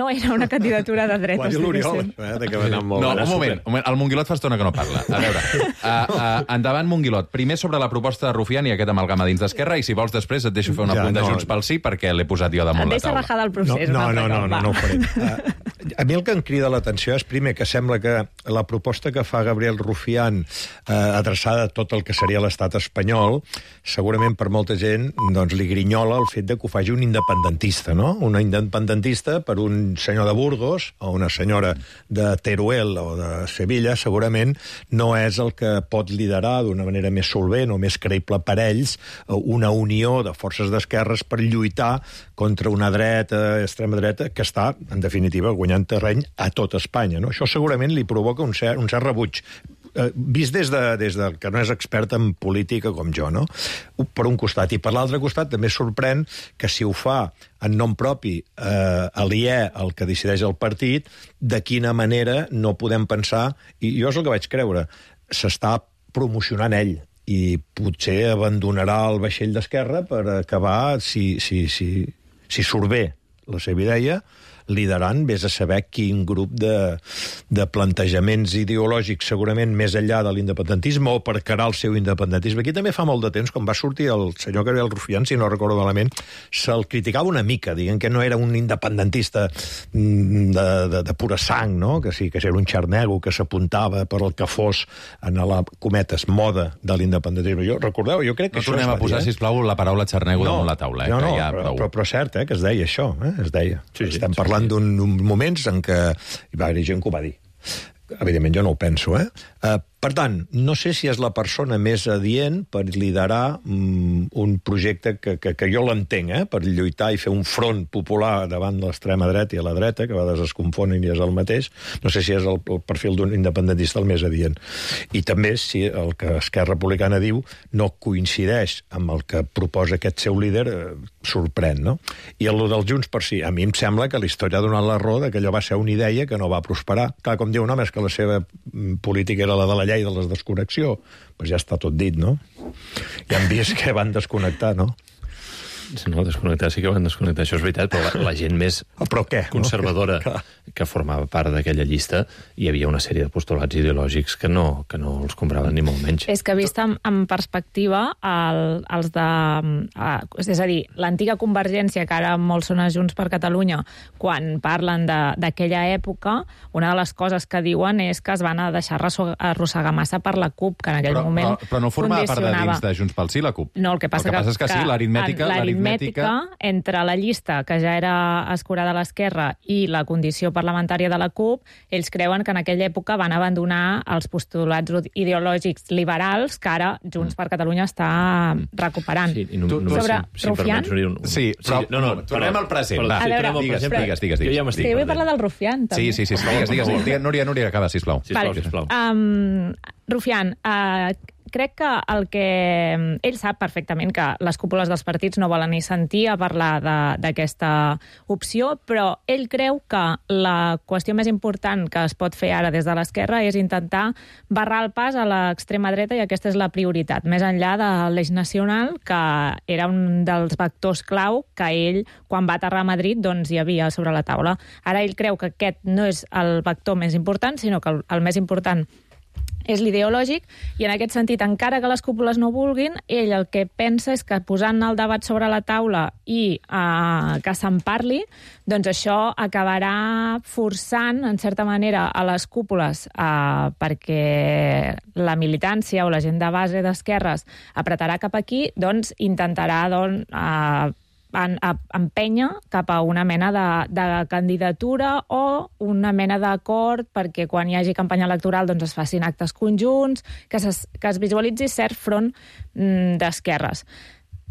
era una candidatura de dretes. Quasi l'Oriol, que va anar molt... No, un moment, el Monguilot fa estona que no parla. A veure, endavant, Monguilot. Primer sobre la proposta de Rufián i aquest amalgama dins d'Esquerra, i si vols després et deixo fer un apunt de Junts pel Sí, perquè l'he posat jo damunt la taula. Deixa rajada el procés. No ho faré. A mi el que em crida l'atenció és, primer, que sembla que la proposta que fa Gabriel Rufián, adreçada a tot el que seria l'estat espanyol, segurament per molta gent li grinyola el fet de que ho faci un independentista, no? Un independentista per un senyor de Burgos o una senyora de Teruel o de Sevilla, segurament no és el que pot liderar d'una manera més solvent o més creïble per ells una unió de forces d'esquerres per lluitar contra una dreta, extrema dreta, que està, en definitiva, guanyant terreny a tot Espanya. No? Això segurament li provoca un cert rebuig, vist des de que no és expert en política com jo, no? Per un costat. I per l'altre costat també sorprèn que si ho fa en nom propi, aliè al que decideix el partit, de quina manera no podem pensar, i jo és el que vaig creure, s'està promocionant ell, i potser abandonarà el vaixell d'Esquerra per acabar, si surt bé la seva idea, liderant, vés a saber quin grup de plantejaments ideològics, segurament més enllà de l'independentisme, o per carar el seu independentisme. Aquí també fa molt de temps, quan va sortir el senyor Gabriel Rufián, si no recordo malament, se'l criticava una mica, dient que no era un independentista de pura sang, no? Que sí, que era un xarnego que s'apuntava per el que fos en la, cometes, moda de l'independentisme. Recordeu, jo crec que això... No tornem a posar, sisplau, la paraula xarnego damunt la taula. Però és cert que es deia això, es deia. Estem parlant d'uns moments en què hi va haver gent que ho va dir. Evidentment, jo no ho penso, Per tant, no sé si és la persona més adient per liderar un projecte que jo l'entenc, per lluitar i fer un front popular davant l'extrema dreta i a la dreta, que a vegades es confonen i és el mateix. No sé si és el perfil d'un independentista el més adient. I també si el que Esquerra Republicana diu no coincideix amb el que proposa aquest seu líder, sorprèn, no? I el del Junts per Sí, a mi em sembla que la història ha donat la raó que allò va ser una idea que no va prosperar. Clar, com diu un home, és que la seva política era la de la llei de la desconnexió, doncs ja està tot dit, no? Ja hem vist que van desconnectar, no? No, desconnectar sí que van desconnectar, això és veritat, però la gent més conservadora que formava part d'aquella llista, hi havia una sèrie de postulats ideològics que no els compraven ni molt menys. És que vist en perspectiva, els de... És a dir, l'antiga Convergència, que ara molts són a Junts per Catalunya, quan parlen d'aquella època, una de les coses que diuen és que es van a deixar arrossegar massa per la CUP, que en aquell moment Però no formava part de dins de Junts pel Sí, la CUP? No, el que passa és que sí, l'aritmètica entre la llista, que ja era escurada a l'esquerra, i la condició parlamentària de la CUP, ells creuen que en aquella època van abandonar els postulats ideològics liberals que ara Junts per Catalunya està recuperant. Sí, sobre Rufián? Sí, però tornem al present. Digues. Jo vull parlar del Rufián, també. Sí, digues. Núria, acaba, sisplau. Rufián, crec que ell sap perfectament que les cúpules dels partits no volen ni sentir a parlar d'aquesta opció, però ell creu que la qüestió més important que es pot fer ara des de l'esquerra és intentar barrar el pas a l'extrema dreta, i aquesta és la prioritat, més enllà de l'Eix Nacional, que era un dels vectors clau que ell, quan va aterrar a Madrid, doncs hi havia sobre la taula. Ara ell creu que aquest no és el vector més important, sinó que el més important és l'ideològic, i en aquest sentit, encara que les cúpules no vulguin, ell el que pensa és que posant el debat sobre la taula i que se'n parli, doncs això acabarà forçant, en certa manera, a les cúpules perquè la militància o la gent de base d'esquerres apretarà cap aquí, doncs intentarà empènyer cap a una mena de candidatura o una mena d'acord perquè quan hi hagi campanya electoral doncs es facin actes conjunts, que es visualitzi cert front d'esquerres.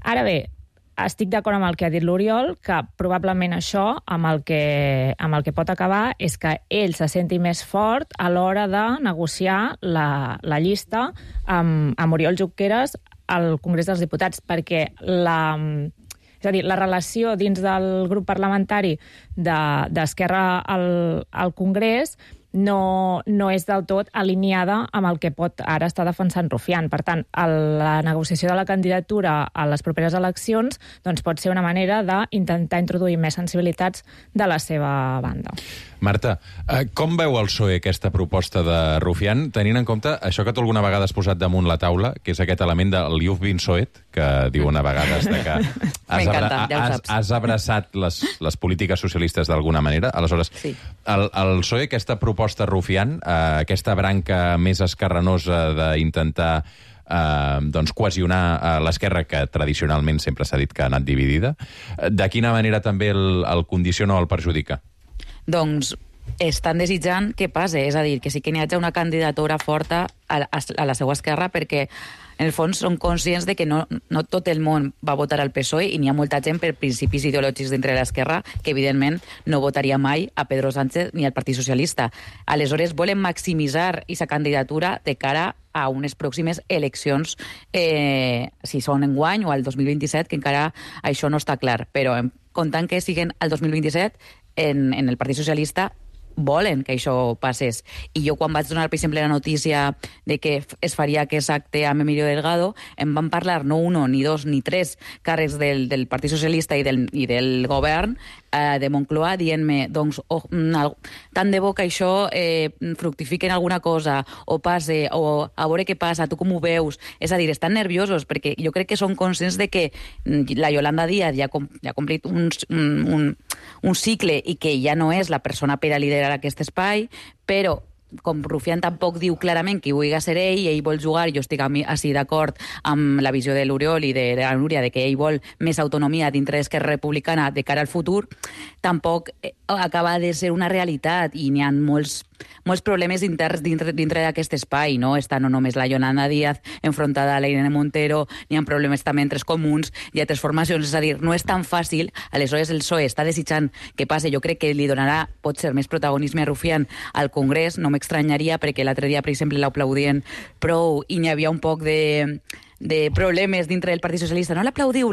Ara bé, estic d'acord amb el que ha dit l'Oriol, que probablement això amb el que pot acabar és que ell se senti més fort a l'hora de negociar la llista amb Oriol Junqueras al Congrés dels Diputats, perquè és a dir, la relació dins del grup parlamentari d'Esquerra al Congrés no és del tot alineada amb el que pot ara estar defensant Rufián. Per tant, la negociació de la candidatura a les properes eleccions doncs pot ser una manera d'intentar introduir més sensibilitats de la seva banda. Marta, com veu el PSOE aquesta proposta de Rufián, tenint en compte això que tu alguna vegada has posat damunt la taula, que és aquest element del You've been Soet, que diuen a vegades de que has abraçat les polítiques socialistes d'alguna manera? Aleshores, sí. El PSOE, aquesta proposta Rufián, aquesta branca més esquerranosa d'intentar cohesionar l'esquerra, que tradicionalment sempre s'ha dit que ha anat dividida, de quina manera també el condiciona o el perjudica? Doncs estan desitjant que passe, és a dir, que sí que n'hi hagi una candidatura forta a la seva esquerra, perquè en el fons són conscients de que no tot el món va votar al PSOE i n'hi ha molta gent per principis ideològics dintre de l'esquerra que evidentment no votaria mai a Pedro Sánchez ni al Partit Socialista. Aleshores volen maximitzar aquesta candidatura de cara a unes pròximes eleccions, si són enguany o al 2027, que encara això no està clar, però comptant que siguen al 2027, en el Partit Socialista volen que això passés. I jo quan vaig donar, per exemple, la notícia de que es faria aquest acte amb Emilio Delgado, em van parlar no uno, ni dos, ni tres càrrecs del Partit Socialista i del govern de Moncloa dient-me, doncs, tant de bo que això fructifique en alguna cosa, o passe, o a veure què passa, tu com ho veus? És a dir, estan nerviosos, perquè jo crec que són conscients de que la Yolanda Díaz ja ha complit un cicle i que ja no és la persona per a liderar aquest espai, però com Rufián tampoc diu clarament que hi vulgui ser ell vol jugar, jo estic així d'acord amb la visió de l'Oriol i de la Núria, de que ell vol més autonomia dintre d'Esquerra Republicana de cara al futur, tampoc acaba de ser una realitat i n'hi ha molts problemes interns dintre d'aquest espai, no? Està no només la Yolanda Díaz enfrontada a la Irene Montero, n'hi ha problemes també entre els comuns i altres formacions, és a dir, no és tan fàcil. Aleshores el PSOE està desitjant que passe, jo crec que li donarà, pot ser, més protagonisme a Rufián al Congrés, no m'estranyaria, perquè l'altre dia, per exemple, l'aplaudien prou i n'hi havia un poc de problemes dintre del Partit Socialista. No l'aplaudiu,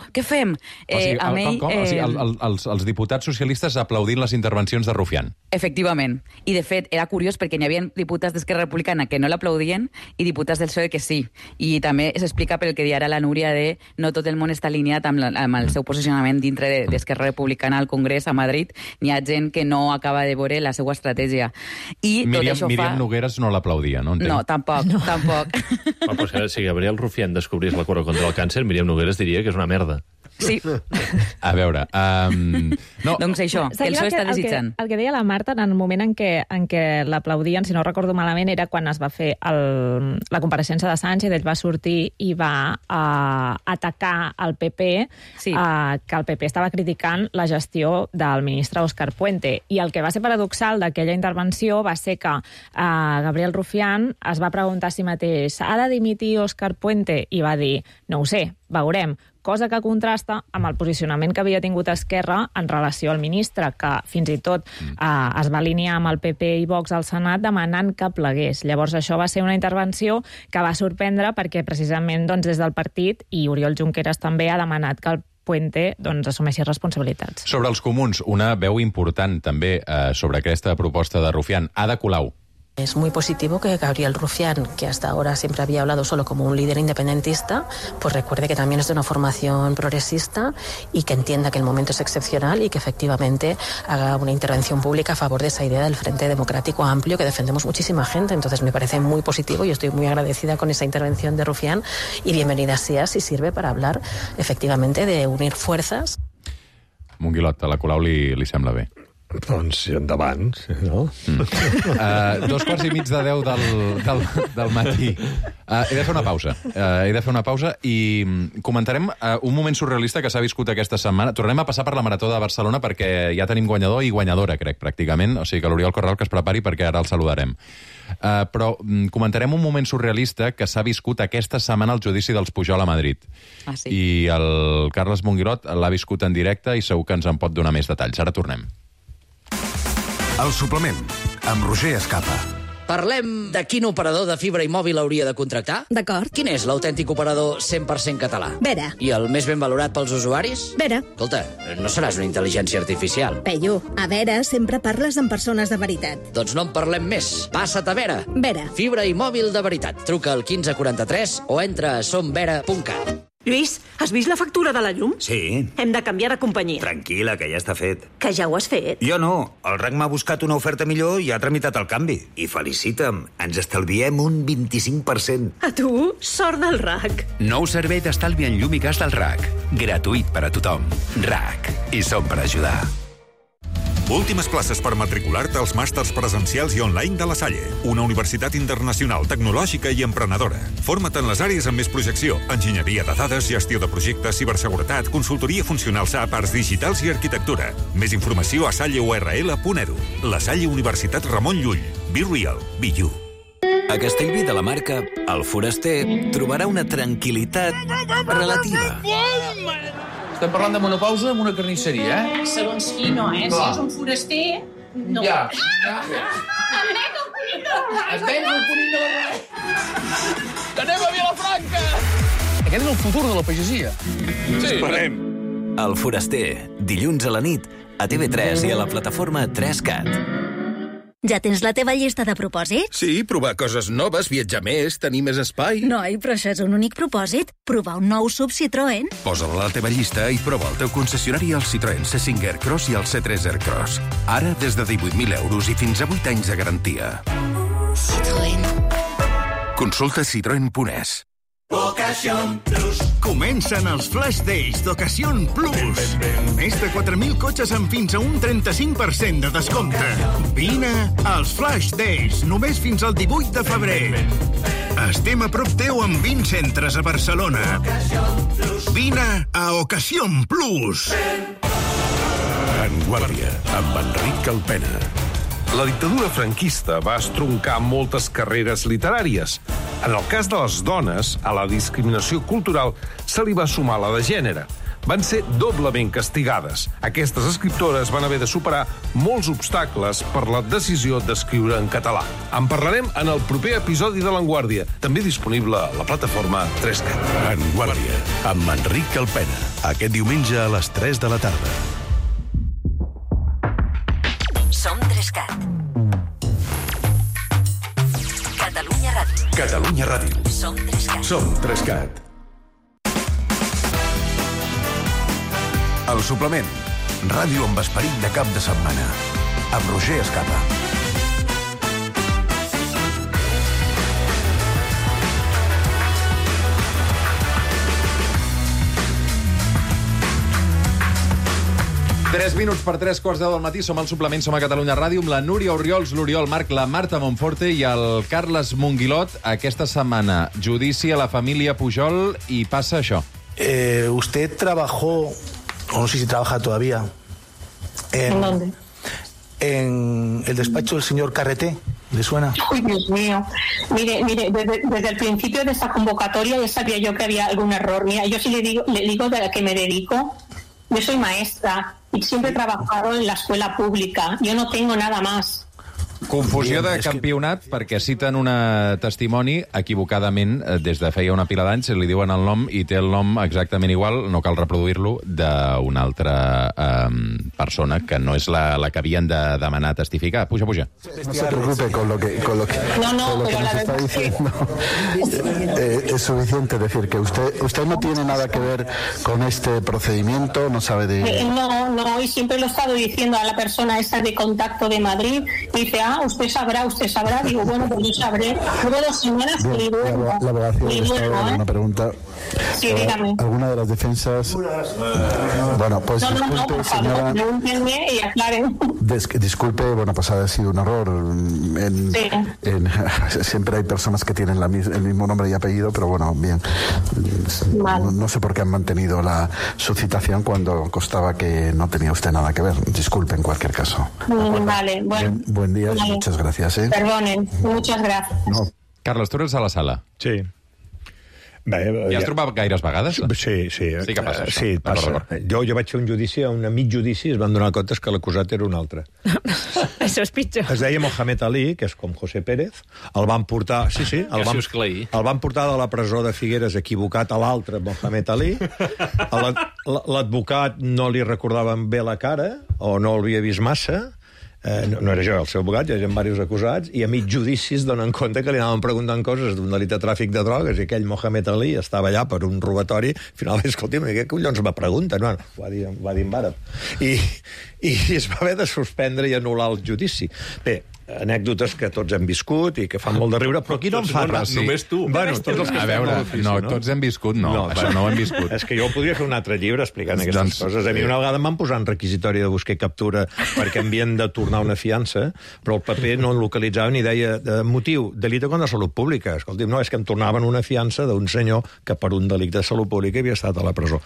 què fem? Els diputats socialistes aplaudint les intervencions de Rufián. Efectivament. I, de fet, era curiós perquè n'hi havia diputats d'Esquerra Republicana que no l'aplaudien i diputats del PSOE que sí. I també s'explica pel que deia ara la Núria de no tot el món està alineat amb el seu posicionament dintre d'Esquerra Republicana al Congrés a Madrid. N'hi ha gent que no acaba de veure la seva estratègia. I Míriam Nogueras no l'aplaudia, no? No, tampoc. Però si Gabriel Rufián descobrís la cura contra el càncer, Míriam Nogueras diria que és una merda. Sí. A veure... Doncs això, que el PSOE està desitjant. El que deia la Marta, en el moment en què l'aplaudien, si no recordo malament, era quan es va fer la compareixença de Sánchez, ell va sortir i va atacar el PP, que el PP estava criticant la gestió del ministre Òscar Puente. I el que va ser paradoxal d'aquella intervenció va ser que Gabriel Rufián es va preguntar a si mateix: ha de dimitir Òscar Puente? I va dir: no ho sé, veurem. Cosa que contrasta amb el posicionament que havia tingut Esquerra en relació al ministre, que fins i tot es va alinear amb el PP i Vox al Senat demanant que plegués. Llavors això va ser una intervenció que va sorprendre perquè precisament des del partit, i Oriol Junqueras també ha demanat que el Puente assumeixi responsabilitats. Sobre els comuns, una veu important també sobre aquesta proposta de Rufián, Ada Colau. Es muy positivo que Gabriel Rufián, que hasta ahora siempre había hablado solo como un líder independentista, pues recuerde que también es de una formación progresista y que entienda que el momento es excepcional y que efectivamente haga una intervención pública a favor de esa idea del Frente Democrático Amplio que defendemos muchísima gente. Entonces me parece muy positivo y estoy muy agradecida con esa intervención de Rufián y bienvenida sea si sirve para hablar efectivamente de unir fuerzas. Monguilot, a la Colau li sembla bé. Doncs endavant, no? 9:45 del matí. He de fer una pausa. I comentarem un moment surrealista que s'ha viscut aquesta setmana. Tornem a passar per la Marató de Barcelona perquè ja tenim guanyador i guanyadora, crec, pràcticament. O sigui que l'Oriol Corral que es prepari perquè ara el saludarem. Però comentarem un moment surrealista que s'ha viscut aquesta setmana al judici dels Pujol a Madrid. Sí? I el Carles Monguilot l'ha viscut en directe i segur que ens en pot donar més detalls. Ara tornem. El suplement, amb Roger Escapa. Parlem de quin operador de fibra i mòbil hauria de contractar? D'acord. Quin és l'autèntic operador 100% català? Vera. I el més ben valorat pels usuaris? Vera. Escolta, no seràs una intel·ligència artificial. Peyu, a Vera sempre parles amb persones de veritat. Doncs no en parlem més. Passa't a Vera. Vera. Fibra i mòbil de veritat. Truca al 1543 o entra a somvera.cat. Lluís, has vist la factura de la llum? Sí. Hem de canviar de companyia. Tranquil·la, que ja està fet. Que ja ho has fet? Jo no. El RAC m'ha buscat una oferta millor i ha tramitat el canvi. I felicita'm, ens estalviem un 25%. A tu, sort del RAC. Nou servei d'estalvi en llum i gas del RAC. Gratuït per a tothom. RAC. I som per ajudar. Últimes places per matricular-te als màsters presencials i online de La Salle, una universitat internacional, tecnològica i emprenedora. Forma't en les àrees amb més projecció: enginyeria de dades, gestió de projectes, ciberseguretat, consultoria funcional SAP, arts digitals i arquitectura. Més informació a salleurl.edu. La Salle Universitat Ramon Llull. Be real, be you. A Castellví de la Marca, el foraster trobarà una tranquil·litat relativa. Estem parlant de menopausa amb una carnisseria, eh? Segons qui no, eh? Clar. Si és un foraster, no. Ja. Es venga el conill de la Es venga el conill de la Ràdio! Que anem a Vilafranca! Aquest és el futur de la pagesia. Sí. Esperem. El foraster, dilluns a la nit, a TV3 i a la plataforma 3CAT. Ja tens la teva llista de propòsits? Sí, provar coses noves, viatjar més, tenir més espai. Noi, però això és un únic propòsit. Provar un nou SUV Citroën. Posa-la a la teva llista i prova el teu concessionari al Citroën C5 Aircross i el C3 Aircross. Ara des de 18.000 euros i fins a 8 anys de garantia. Citroën. Consulta citroen.es. Ocasión Plus. Comencen els Flash Days d'Ocasión Plus. Més de 4.000 cotxes amb fins a un 35% de descompte. Vine als Flash Days, només fins al 18 de febrer. Estem a prop teu amb 20 centres a Barcelona. Vine a Ocasión Plus. En Guàrdia, amb Enric Calpena. La dictadura franquista va estroncar moltes carreres literàries. En el cas de les dones, a la discriminació cultural se li va sumar la de gènere. Van ser doblement castigades. Aquestes escriptores van haver de superar molts obstacles per la decisió d'escriure en català. En parlarem en el proper episodi de l'Enguàrdia, també disponible a la plataforma 3CAT. En Guàrdia, amb Enric Calpena. Aquest diumenge a les 3 de la tarda. Som 3CAT. Catalunya Ràdio. Catalunya Ràdio. Som 3CAT. Som 3CAT. El suplement. Ràdio amb esperit de cap de setmana. Amb Roger Escapa. Tres minuts per 3:15 del matí, som al suplement, som a Catalunya Ràdio, amb la Núria Orriols, l'Oriol Marc, la Marta Monforte i el Carles Monguilot. Aquesta setmana, judici a la família Pujol i passa això. Usted trabajó, o no sé si trabaja todavía, ¿En dónde? en el despacho del señor Carreté. ¿Le suena? Uy, Dios mío. Mire, desde el principio de esta convocatoria ya sabía yo que había algún error. Mira, yo sí le digo de la que me dedico. Yo soy maestra y siempre he trabajado en la escuela pública. Yo no tengo nada más. Confusió de campionat perquè citen una testimoni equivocadament des de feia una pila d'anys, li diuen el nom i té el nom exactament igual, no cal reproduir-lo, d'una altra persona que no és la que havien de demanar testificar. Puja. No se preocupe con lo que No, pero la está diciendo. Es suficiente decir que usted no tiene nada que ver con este procedimiento, no sabe de... No, y siempre lo he estado diciendo a la persona esa de contacto de Madrid. Dice, usted sabrá. Digo, bueno, pues yo sabré. Luego 2 semanas y luego... La abogacía del Estado, una pregunta. Sí, dígame. ¿Alguna de las defensas? Bueno, pues disculpe, por señora. favor, pregúntenme y aclaren. Disculpe, bueno, pues ha sido un error. Siempre hay personas que tienen el mismo nombre y apellido, pero bueno, bien. No sé por qué han mantenido su citación cuando constaba que no tenía usted nada que ver. Disculpe en cualquier caso. Vale, bueno. Buen día y muchas gracias. Perdonen, muchas gracias. No. Carles, tu eres a la sala. Sí. Bé, I has trobat gaires vegades? Sí. Sí que passa això. Sí, passa. Jo vaig fer un judici, a un mig judici, es van donar comptes que l'acusat era un altre. Això és pitjor. Es deia Mohamed Ali, que és com José Pérez. El van portar... Sí, el van portar de la presó de Figueres equivocat a l'altre, Mohamed Ali. L'advocat no li recordaven bé la cara, o no l'havia vist massa. No era jo, el seu abogat, hi havia diversos acusats, i a mig judici es donen compte que li anaven preguntant coses d'un delit de tràfic de drogues, i aquell Mohamed Ali estava allà per un robatori, al final, escolti'm, què collons me pregunten? Bueno, ho va dir en àrab. I es va haver de suspendre i anul·lar el judici. Bé, anècdotes que tots hem viscut i que fan molt de riure, però aquí no en fa res. Només tu. Bueno, tots els que a veure, tots hem viscut, això no ho hem viscut. És que jo podria fer un altre llibre explicant aquestes coses. A mi una vegada em van posar en requisitori de buscar i captura perquè havien de tornar una fiança, però el paper no en localitzava ni deia motiu, delito contra la salut pública. Escolti'm, no, és que em tornaven una fiança d'un senyor que per un delicte de salut pública havia estat a la presó.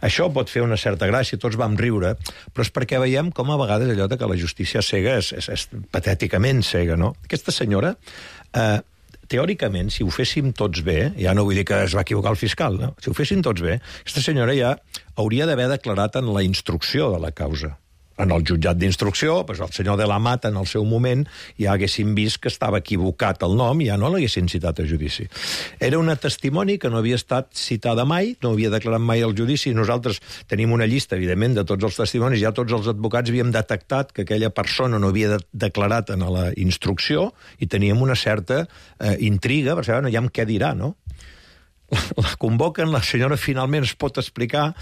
Això pot fer una certa gràcia, tots vam riure, però és perquè veiem com a vegades allò que la justícia cega és patèticament cega, no? Aquesta senyora, teòricament, si ho féssim tots bé, ja no vull dir que es va equivocar el fiscal, no? Si ho féssim tots bé, aquesta senyora ja hauria d'haver declarat en la instrucció de la causa. En el jutjat d'instrucció, doncs el senyor de la Mata, en el seu moment, ja haguessin vist que estava equivocat el nom i ja no l'haguessin citat a judici. Era una testimoni que no havia estat citada mai, no havia declarat mai al judici. Nosaltres tenim una llista, evidentment, de tots els testimonis. Ja tots els advocats havíem detectat que aquella persona no havia declarat en la instrucció i teníem una certa intriga, per saber, ja què dirà, no? La convoquen, la senyora finalment es pot explicar.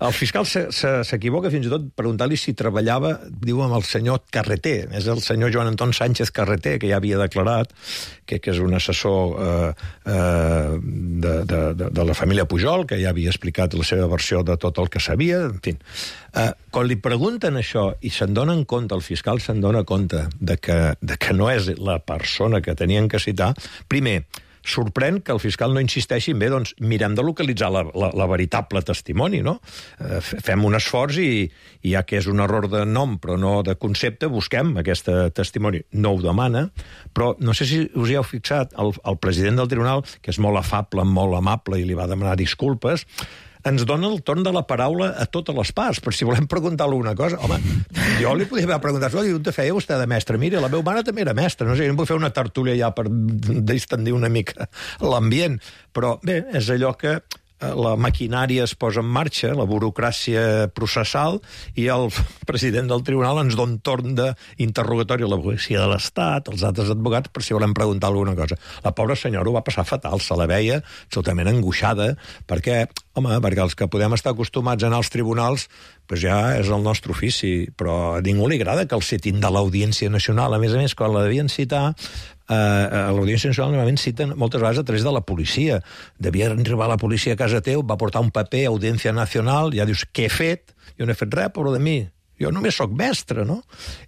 El fiscal s'equivoca fins i tot preguntar-li si treballava, diu, amb el senyor Carreter. És el senyor Joan Anton Sánchez Carreter, que ja havia declarat, que és un assessor de la família Pujol, que ja havia explicat la seva versió de tot el que sabia. En fi, quan li pregunten això i se'n donen compte, el fiscal se'n dona compte de que no és la persona que tenien que citar, primer, sorprèn que el fiscal no insisteixi en bé, doncs mirem de localitzar la veritable testimoni, no? Fem un esforç i ja que és un error de nom però no de concepte, busquem aquesta testimoni. No ho demana, però no sé si us hi heu fixat, el president del tribunal, que és molt afable, molt amable i li va demanar disculpes, ens dona el torn de la paraula a totes les parts, per si volem preguntar alguna cosa. Home, jo li podria haver preguntat, on te feia vostè de mestre? Mira, la meva mare també era mestra, no sé, no puc fer una tertúlia ja per distendir una mica l'ambient, però bé, és allò que la maquinària es posa en marxa, la burocràcia processal, i el president del tribunal ens dona un torn d'interrogatori a la policia de l'Estat, als altres advocats, per si volem preguntar alguna cosa. La pobra senyora ho va passar fatal, se la veia absolutament angoixada, perquè els que podem estar acostumats a anar als tribunals, doncs ja és el nostre ofici, però a ningú li agrada que el citin de l'Audiència Nacional. A més, quan la devien citar, a l'Audiència Nacional normalment citen moltes vegades a través de la policia. Devia arribar la policia a casa teu, va portar un paper a Audiència Nacional, ja dius, què he fet? Jo no he fet res, pobre de mi. Jo només sóc mestre, no?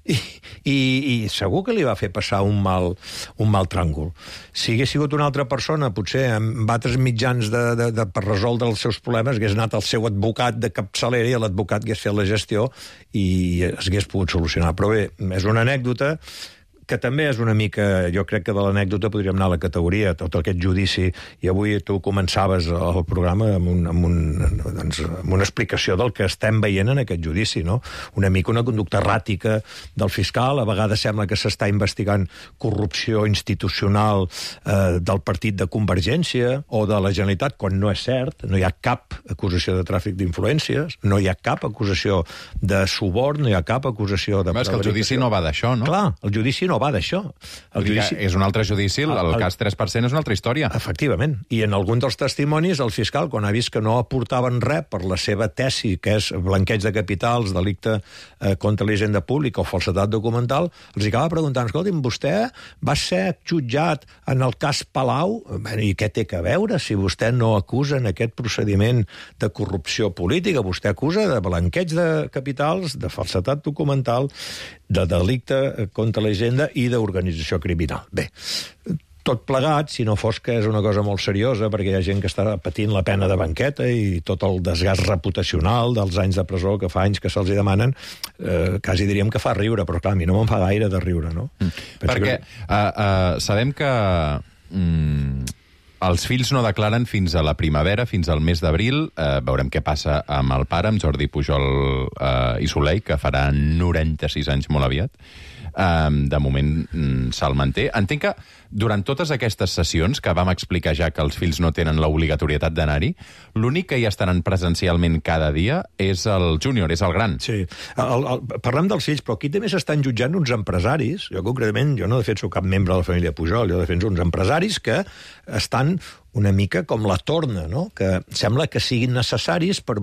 I segur que li va fer passar un mal tràngol. Si hagués sigut una altra persona, potser amb altres mitjans per resoldre els seus problemes, hagués anat al seu advocat de capçalera i l'advocat hagués fet la gestió i es hagués pogut solucionar. Però bé, és una anècdota que també és una mica, jo crec que de l'anècdota podríem anar a la categoria, tot aquest judici, i avui tu començaves el programa amb una explicació del que estem veient en aquest judici, no? Una mica una conducta erràtica del fiscal, a vegades sembla que s'està investigant corrupció institucional del partit de Convergència o de la Generalitat, quan no és cert, no hi ha cap acusació de tràfic d'influències, no hi ha cap acusació de suborn, no hi ha cap acusació de prevaricació. És que el judici no va d'això, no? Clar, el judici no va d'això. És un altre judici, el cas 3% és una altra història. Efectivament. I en algun dels testimonis, el fiscal, quan ha vist que no aportaven res per la seva tesi, que és blanqueig de capitals, delicte contra la hisenda pública o falsedat documental, els acaba preguntant, escolti'm, vostè va ser jutjat en el cas Palau? I què té a veure si vostè no acusa en aquest procediment de corrupció política? Vostè acusa de blanqueig de capitals, de falsedat documental, de delicte contra la hisenda i d'organització criminal. Bé, tot plegat, si no fos que és una cosa molt seriosa, perquè hi ha gent que està patint la pena de banqueta i tot el desgast reputacional dels anys de presó que fa anys que se'ls demanen, quasi diríem que fa riure, però clar, a mi no me'n fa gaire de riure, no? Perquè sabem que els fills no declaren fins a la primavera, fins al mes d'abril. Veurem què passa amb el pare, amb Jordi Pujol i Soleil, que farà 96 anys molt aviat. De moment se'l manté. Entenc que durant totes aquestes sessions, que vam explicar ja que els fills no tenen l'obligatorietat d'anar-hi, l'únic que hi estaran presencialment cada dia és el júnior, és el gran. Sí. Parlem dels fills, però aquí també s'estan jutjant uns empresaris. Jo, concretament, jo no defenso cap membre de la família Pujol, jo defenso uns empresaris que estan una mica com la torna, no? Que sembla que siguin necessaris per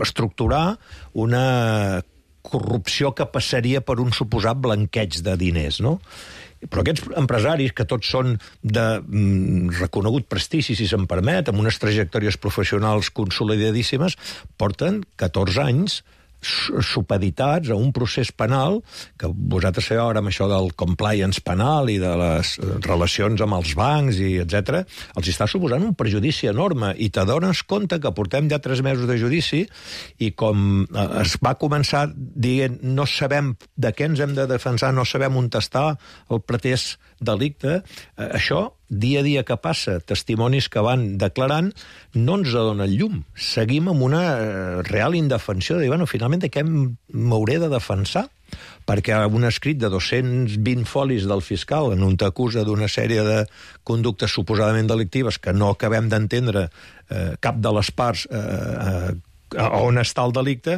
estructurar una corrupció que passaria per un suposat blanqueig de diners, no? Però aquests empresaris, que tots són de reconegut prestigi, si se'm permet, amb unes trajectòries professionals consolidadíssimes, porten 14 anys supeditats a un procés penal que vosaltres sabeu ara amb això del compliance penal i de les relacions amb els bancs i etc. els està suposant un perjudici enorme i t'adones compte que portem ja 3 mesos de judici i com es va començar dient no sabem de què ens hem de defensar, no sabem on està el pretès delicte, això dia a dia que passa, testimonis que van declarant, no ens donen llum. Seguim amb una real indefensió de dir, bueno, finalment de què m'hauré de defensar? Perquè un escrit de 220 folis del fiscal en on t'acusa d'una sèrie de conductes suposadament delictives que no acabem d'entendre cap de les parts on està el delicte,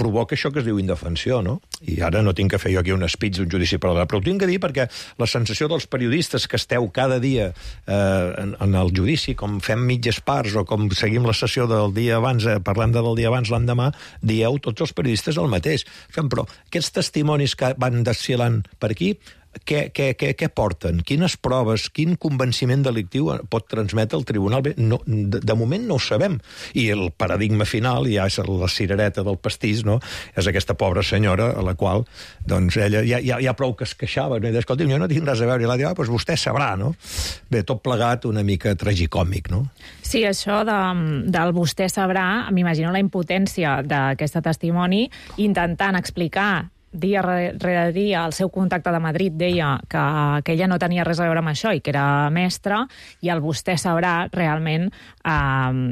provoca això que es diu indefensió, no? I ara no tinc que fer jo aquí un speech d'un judici paral·lel, però ho tinc que dir perquè la sensació dels periodistes que esteu cada dia en el judici, com fem mitges parts o com seguim la sessió del dia abans, parlem del dia abans, l'endemà, dieu tots els periodistes el mateix. Però aquests testimonis que van desfilant per aquí, què porten? Quines proves, quin convenciment delictiu pot transmetre el tribunal? Bé, no, de moment no ho sabem. I el paradigma final, ja és la cirereta del pastís, no? És aquesta pobra senyora a la qual doncs, ella ja prou que es queixava, no? I deia, escolti'm, jo no tinc res a veure. I l'ha dit, doncs vostè sabrà, no? Bé, tot plegat una mica tragicòmic, no? Sí, això del vostè sabrà, m'imagino la impotència d'aquesta testimoni intentant explicar dia rere dia el seu contacte de Madrid deia que ella no tenia res a veure amb això i que era mestra, i el vostè sabrà realment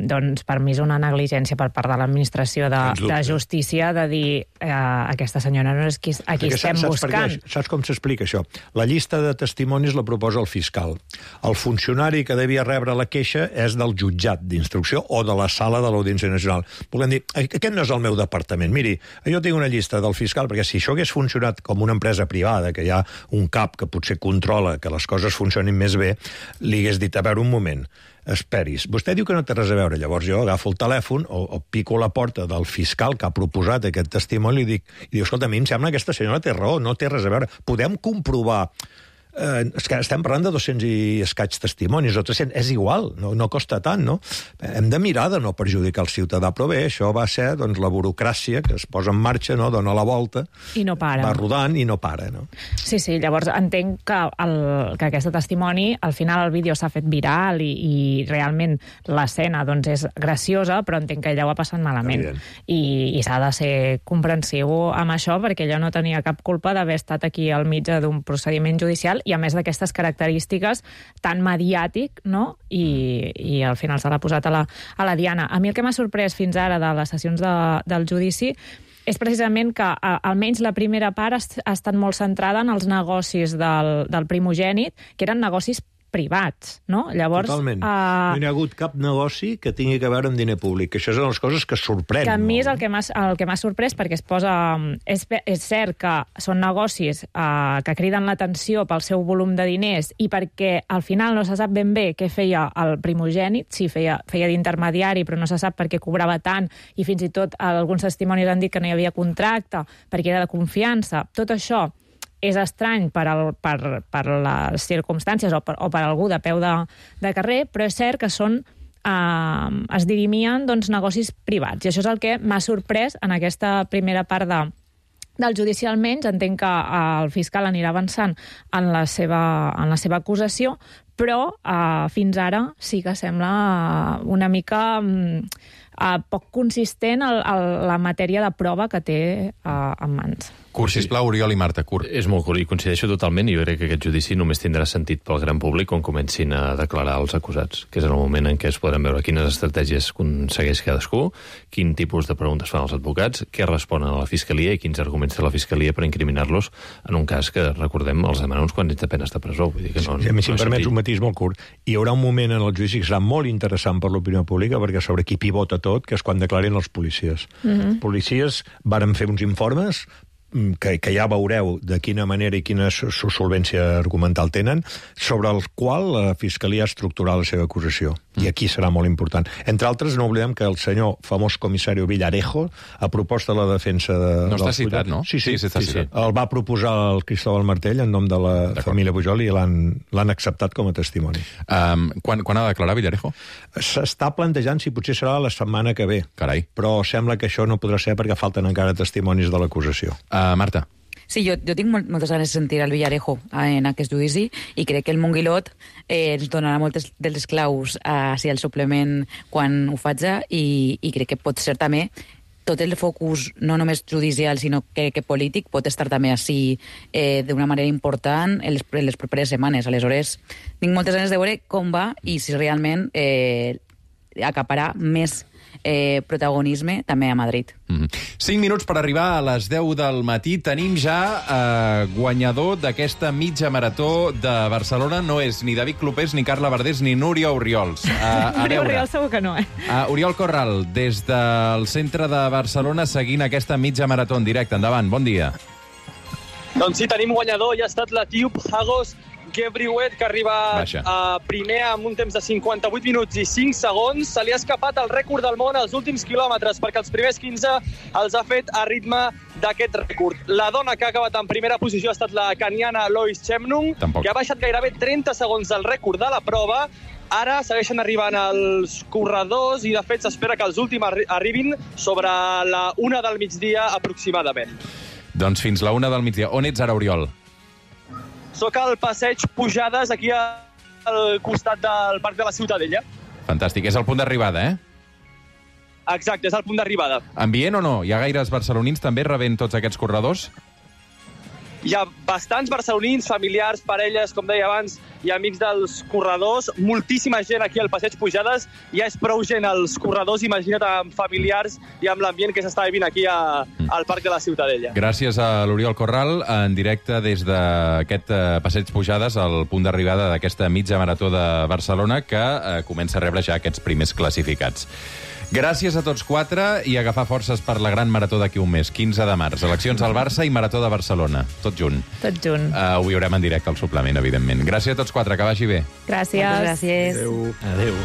doncs per mi és una negligència per part de l'administració de justícia de dir aquesta senyora no és a qui estem buscant. Saps com s'explica això? La llista de testimonis la proposa el fiscal. El funcionari que devia rebre la queixa és del jutjat d'instrucció o de la sala de l'Audiència Nacional. Volem dir, aquest no és el meu departament. Miri, jo tinc una llista del fiscal, perquè si això hagués funcionat com una empresa privada, que hi ha un cap que potser controla que les coses funcionin més bé, li hagués dit, a veure, un moment, esperis. Vostè diu que no té res a veure, llavors jo agafo el telèfon o pico la porta del fiscal que ha proposat aquest testimoni i diu, escolta, a mi em sembla que aquesta senyora té raó, no té res a veure. Podem comprovar és que estem parlant de 200 i escaig testimonis, o 300, és igual, no costa tant, no? Hem de mirar de no perjudicar el ciutadà, però bé, això va ser doncs, la burocràcia que es posa en marxa, no? Dona la volta, i no para. Va rodant i no para, no? Sí, llavors entenc que aquest testimoni, al final el vídeo s'ha fet viral i realment l'escena doncs, és graciosa, però entenc que ella ho ha passat malament. I s'ha de ser comprensiu amb això, perquè ella no tenia cap culpa d'haver estat aquí al mig d'un procediment judicial i a més d'aquestes característiques tan mediàtic, no? I al final se l'ha posat a la diana. A mi el que m'ha sorprès fins ara de les sessions del judici és precisament que almenys la primera part ha estat molt centrada en els negocis del primogènit, que eren negocis privats, no? Llavors, totalment. No hi ha hagut cap negoci que tingui que veure amb diner públic. Això és una de les coses que sorprèn. Que a mi és el que m'ha sorprès, perquè es posa... És cert que són negocis que criden l'atenció pel seu volum de diners i perquè al final no se sap ben bé què feia el primogènit, si feia d'intermediari, però no se sap per què cobrava tant, i fins i tot alguns testimonis han dit que no hi havia contracte, perquè era de confiança. Tot això és estrany per les circumstàncies o per algú de peu de carrer, però és cert que es dirimien negocis privats. I això és el que m'ha sorprès en aquesta primera part del judici. Almenys entenc que el fiscal anirà avançant en la seva acusació, però fins ara sí que sembla una mica poc consistent la matèria de prova que té en mans. Curt, sisplau, Oriol i Marta, curt. És molt curt, i coincideixo totalment, i jo crec que aquest judici només tindrà sentit pel gran públic quan comencin a declarar els acusats, que és en el moment en què es podran veure quines estratègies aconsegueix cadascú, quin tipus de preguntes fan els advocats, què responen a la Fiscalia i quins arguments té la Fiscalia per incriminar-los en un cas que, recordem, els demana uns quants anys de penes de presó. Vull dir que no, si em permets un matís molt curt, hi haurà un moment en el judici que serà molt interessant per l'opinió pública, perquè sobre qui pivota tot, que és quan declarin els policies. Els policies varen fer uns informes que ja veureu de quina manera i quina solvència argumental tenen, sobre el qual la Fiscalia ha estructurat la seva acusació. I aquí serà molt important. Entre altres, no oblidem que el senyor famós comissari Villarejo, a proposta de la defensa No està citat, no? Sí, està citat. El va proposar el Cristóbal Martell en nom de la família Pujol i l'han acceptat com a testimoni. Quan ha de declarar Villarejo? S'està plantejant si potser serà la setmana que ve. Carai. Però sembla que això no podrà ser perquè falten encara testimonis de l'acusació. Marta. Sí, jo tinc moltes ganes de sentir el Villarejo en aquest judici i crec que el Monguilot ens donarà moltes dels claus si el suplement quan ho faig i crec que pot ser també tot el focus, no només judicial, sinó que polític, pot estar també així d'una manera important en les properes setmanes. Aleshores, tinc moltes ganes de veure com va i si realment acaparà més protagonisme també a Madrid. 5 minuts per arribar a les 10 del matí. Tenim ja guanyador d'aquesta mitja marató de Barcelona. No és ni David Clopés, ni Carla Verdés, ni Núria Oriols. Núria Oriols segur que no, Oriol Corral, des del centre de Barcelona, seguint aquesta mitja marató en directe. Endavant, bon dia. Doncs sí, tenim guanyador. Ja ha estat l'etíop Hagos Gebrhiwet, que arriba primer amb un temps de 58 minuts i 5 segons. Se li ha escapat el rècord del món als últims quilòmetres, perquè els primers 15 els ha fet a ritme d'aquest rècord. La dona que ha acabat en primera posició ha estat la caniana Lois Chemnung, que ha baixat gairebé 30 segons del rècord de la prova. Ara segueixen arribant els corredors i, de fet, s'espera que els últims arribin sobre la 1 del migdia aproximadament. Doncs fins la 1 del migdia. On ets ara, Oriol? Soc al passeig Pujades, aquí al costat del Parc de la Ciutadella. Fantàstic. És el punt d'arribada, Exacte, és el punt d'arribada. Ambient o no? Hi ha gaires barcelonins també rebent tots aquests corredors? Hi ha bastants barcelonins, familiars, parelles, com deia abans, i amics dels corredors. Moltíssima gent aquí al passeig Pujades. Ja és prou gent als corredors, imagina't, amb familiars i amb l'ambient que s'està vivint aquí al Parc de la Ciutadella. Gràcies a l'Oriol Corral, en directe des d'aquest passeig Pujades, al punt d'arribada d'aquesta mitja marató de Barcelona, que comença a rebre ja aquests primers classificats. Gràcies a tots 4 i agafar forces per la gran marató d'aquí un mes, 15 de març. Eleccions al Barça i Marató de Barcelona. Tot junt. Tot junt. Ho veurem en directe al suplement, evidentment. Gràcies a tots 4, que vagi bé. Gràcies. Gràcies. Adéu. Adéu.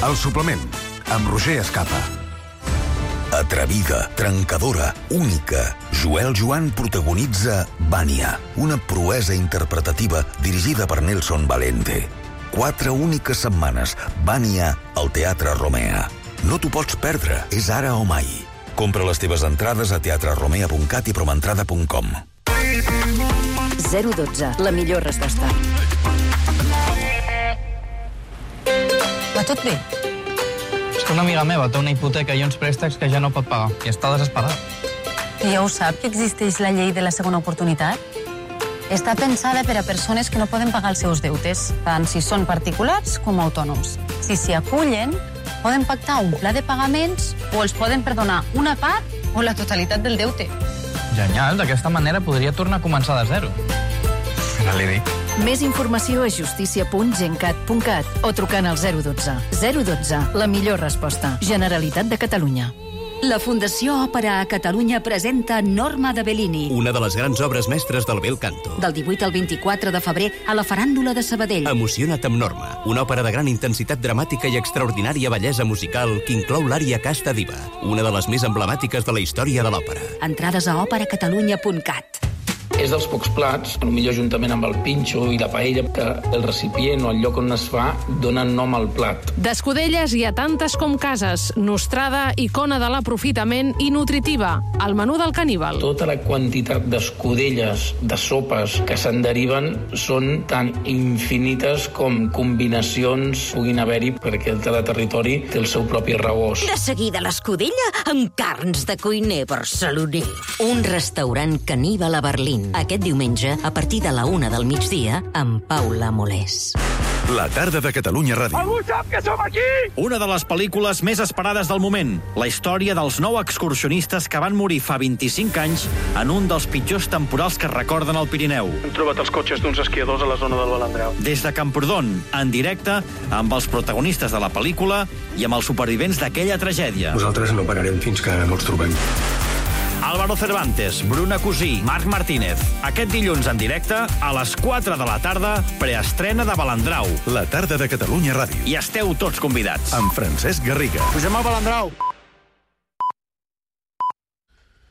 El suplement, amb Roger Escapa. Atrevida, trencadora, única, Joel Joan protagonitza Vania, una proesa interpretativa dirigida per Nelson Valente. 4 úniques setmanes, Vania al Teatre Romea. No t'ho pots perdre, és ara o mai. Compra les teves entrades a teatreromea.cat i promentrada.com. 012, la millor resposta. Va tot bé? És que una amiga meva té una hipoteca i uns préstecs que ja no pot pagar i està desesperada. I ja ho sap que existeix la llei de la segona oportunitat? Està pensada per a persones que no poden pagar els seus deutes, tant si són particulars com autònoms. Si s'hi acullen, poden pactar un pla de pagaments o els poden perdonar una part o la totalitat del deute. Genial, d'aquesta manera podria tornar a començar de zero. Ja li dic. Més informació a justícia.gencat.cat o trucant al 012. 012, la millor resposta. Generalitat de Catalunya. La Fundació Òpera a Catalunya presenta Norma de Bellini. Una de les grans obres mestres del bel canto. Del 18 al 24 de febrer a la Faràndula de Sabadell. Emociona't amb Norma, una òpera de gran intensitat dramàtica i extraordinària bellesa musical que inclou l'ària Casta Diva, una de les més emblemàtiques de la història de l'òpera. Entrades a operacatalunya.cat. És dels pocs plats, potser juntament amb el pinxo i la paella, que el recipient o el lloc on es fa donen nom al plat. D'escudelles hi ha tantes com cases. Nostrada, icona de l'aprofitament i nutritiva. El menú del caníbal. Tota la quantitat d'escudelles, de sopes que se'n deriven són tan infinites com combinacions puguin haver-hi, perquè cada territori té el seu propi rebost. De seguida l'escudella amb carns de cuiner barceloní. Un restaurant caníbal a Berlín. Aquest diumenge, a partir de la 1 del migdia, amb Paula Molés. La tarda de Catalunya Ràdio. Algú sap que som aquí? Una de les pel·lícules més esperades del moment. La història dels 9 excursionistes que van morir fa 25 anys en un dels pitjors temporals que es recorden al Pirineu. Hem trobat els cotxes d'uns esquiadors a la zona del Balandrau. Des de Camprodon, en directe, amb els protagonistes de la pel·lícula i amb els supervivents d'aquella tragèdia. Nosaltres no pararem fins que no els trobem. Álvaro Cervantes, Bruna Cusí, Marc Martínez. Aquest dilluns en directe, a les 4 de la tarda, preestrena de Balandrau. La tarda de Catalunya Ràdio. I esteu tots convidats. Amb Francesc Garriga. Pugem al Balandrau.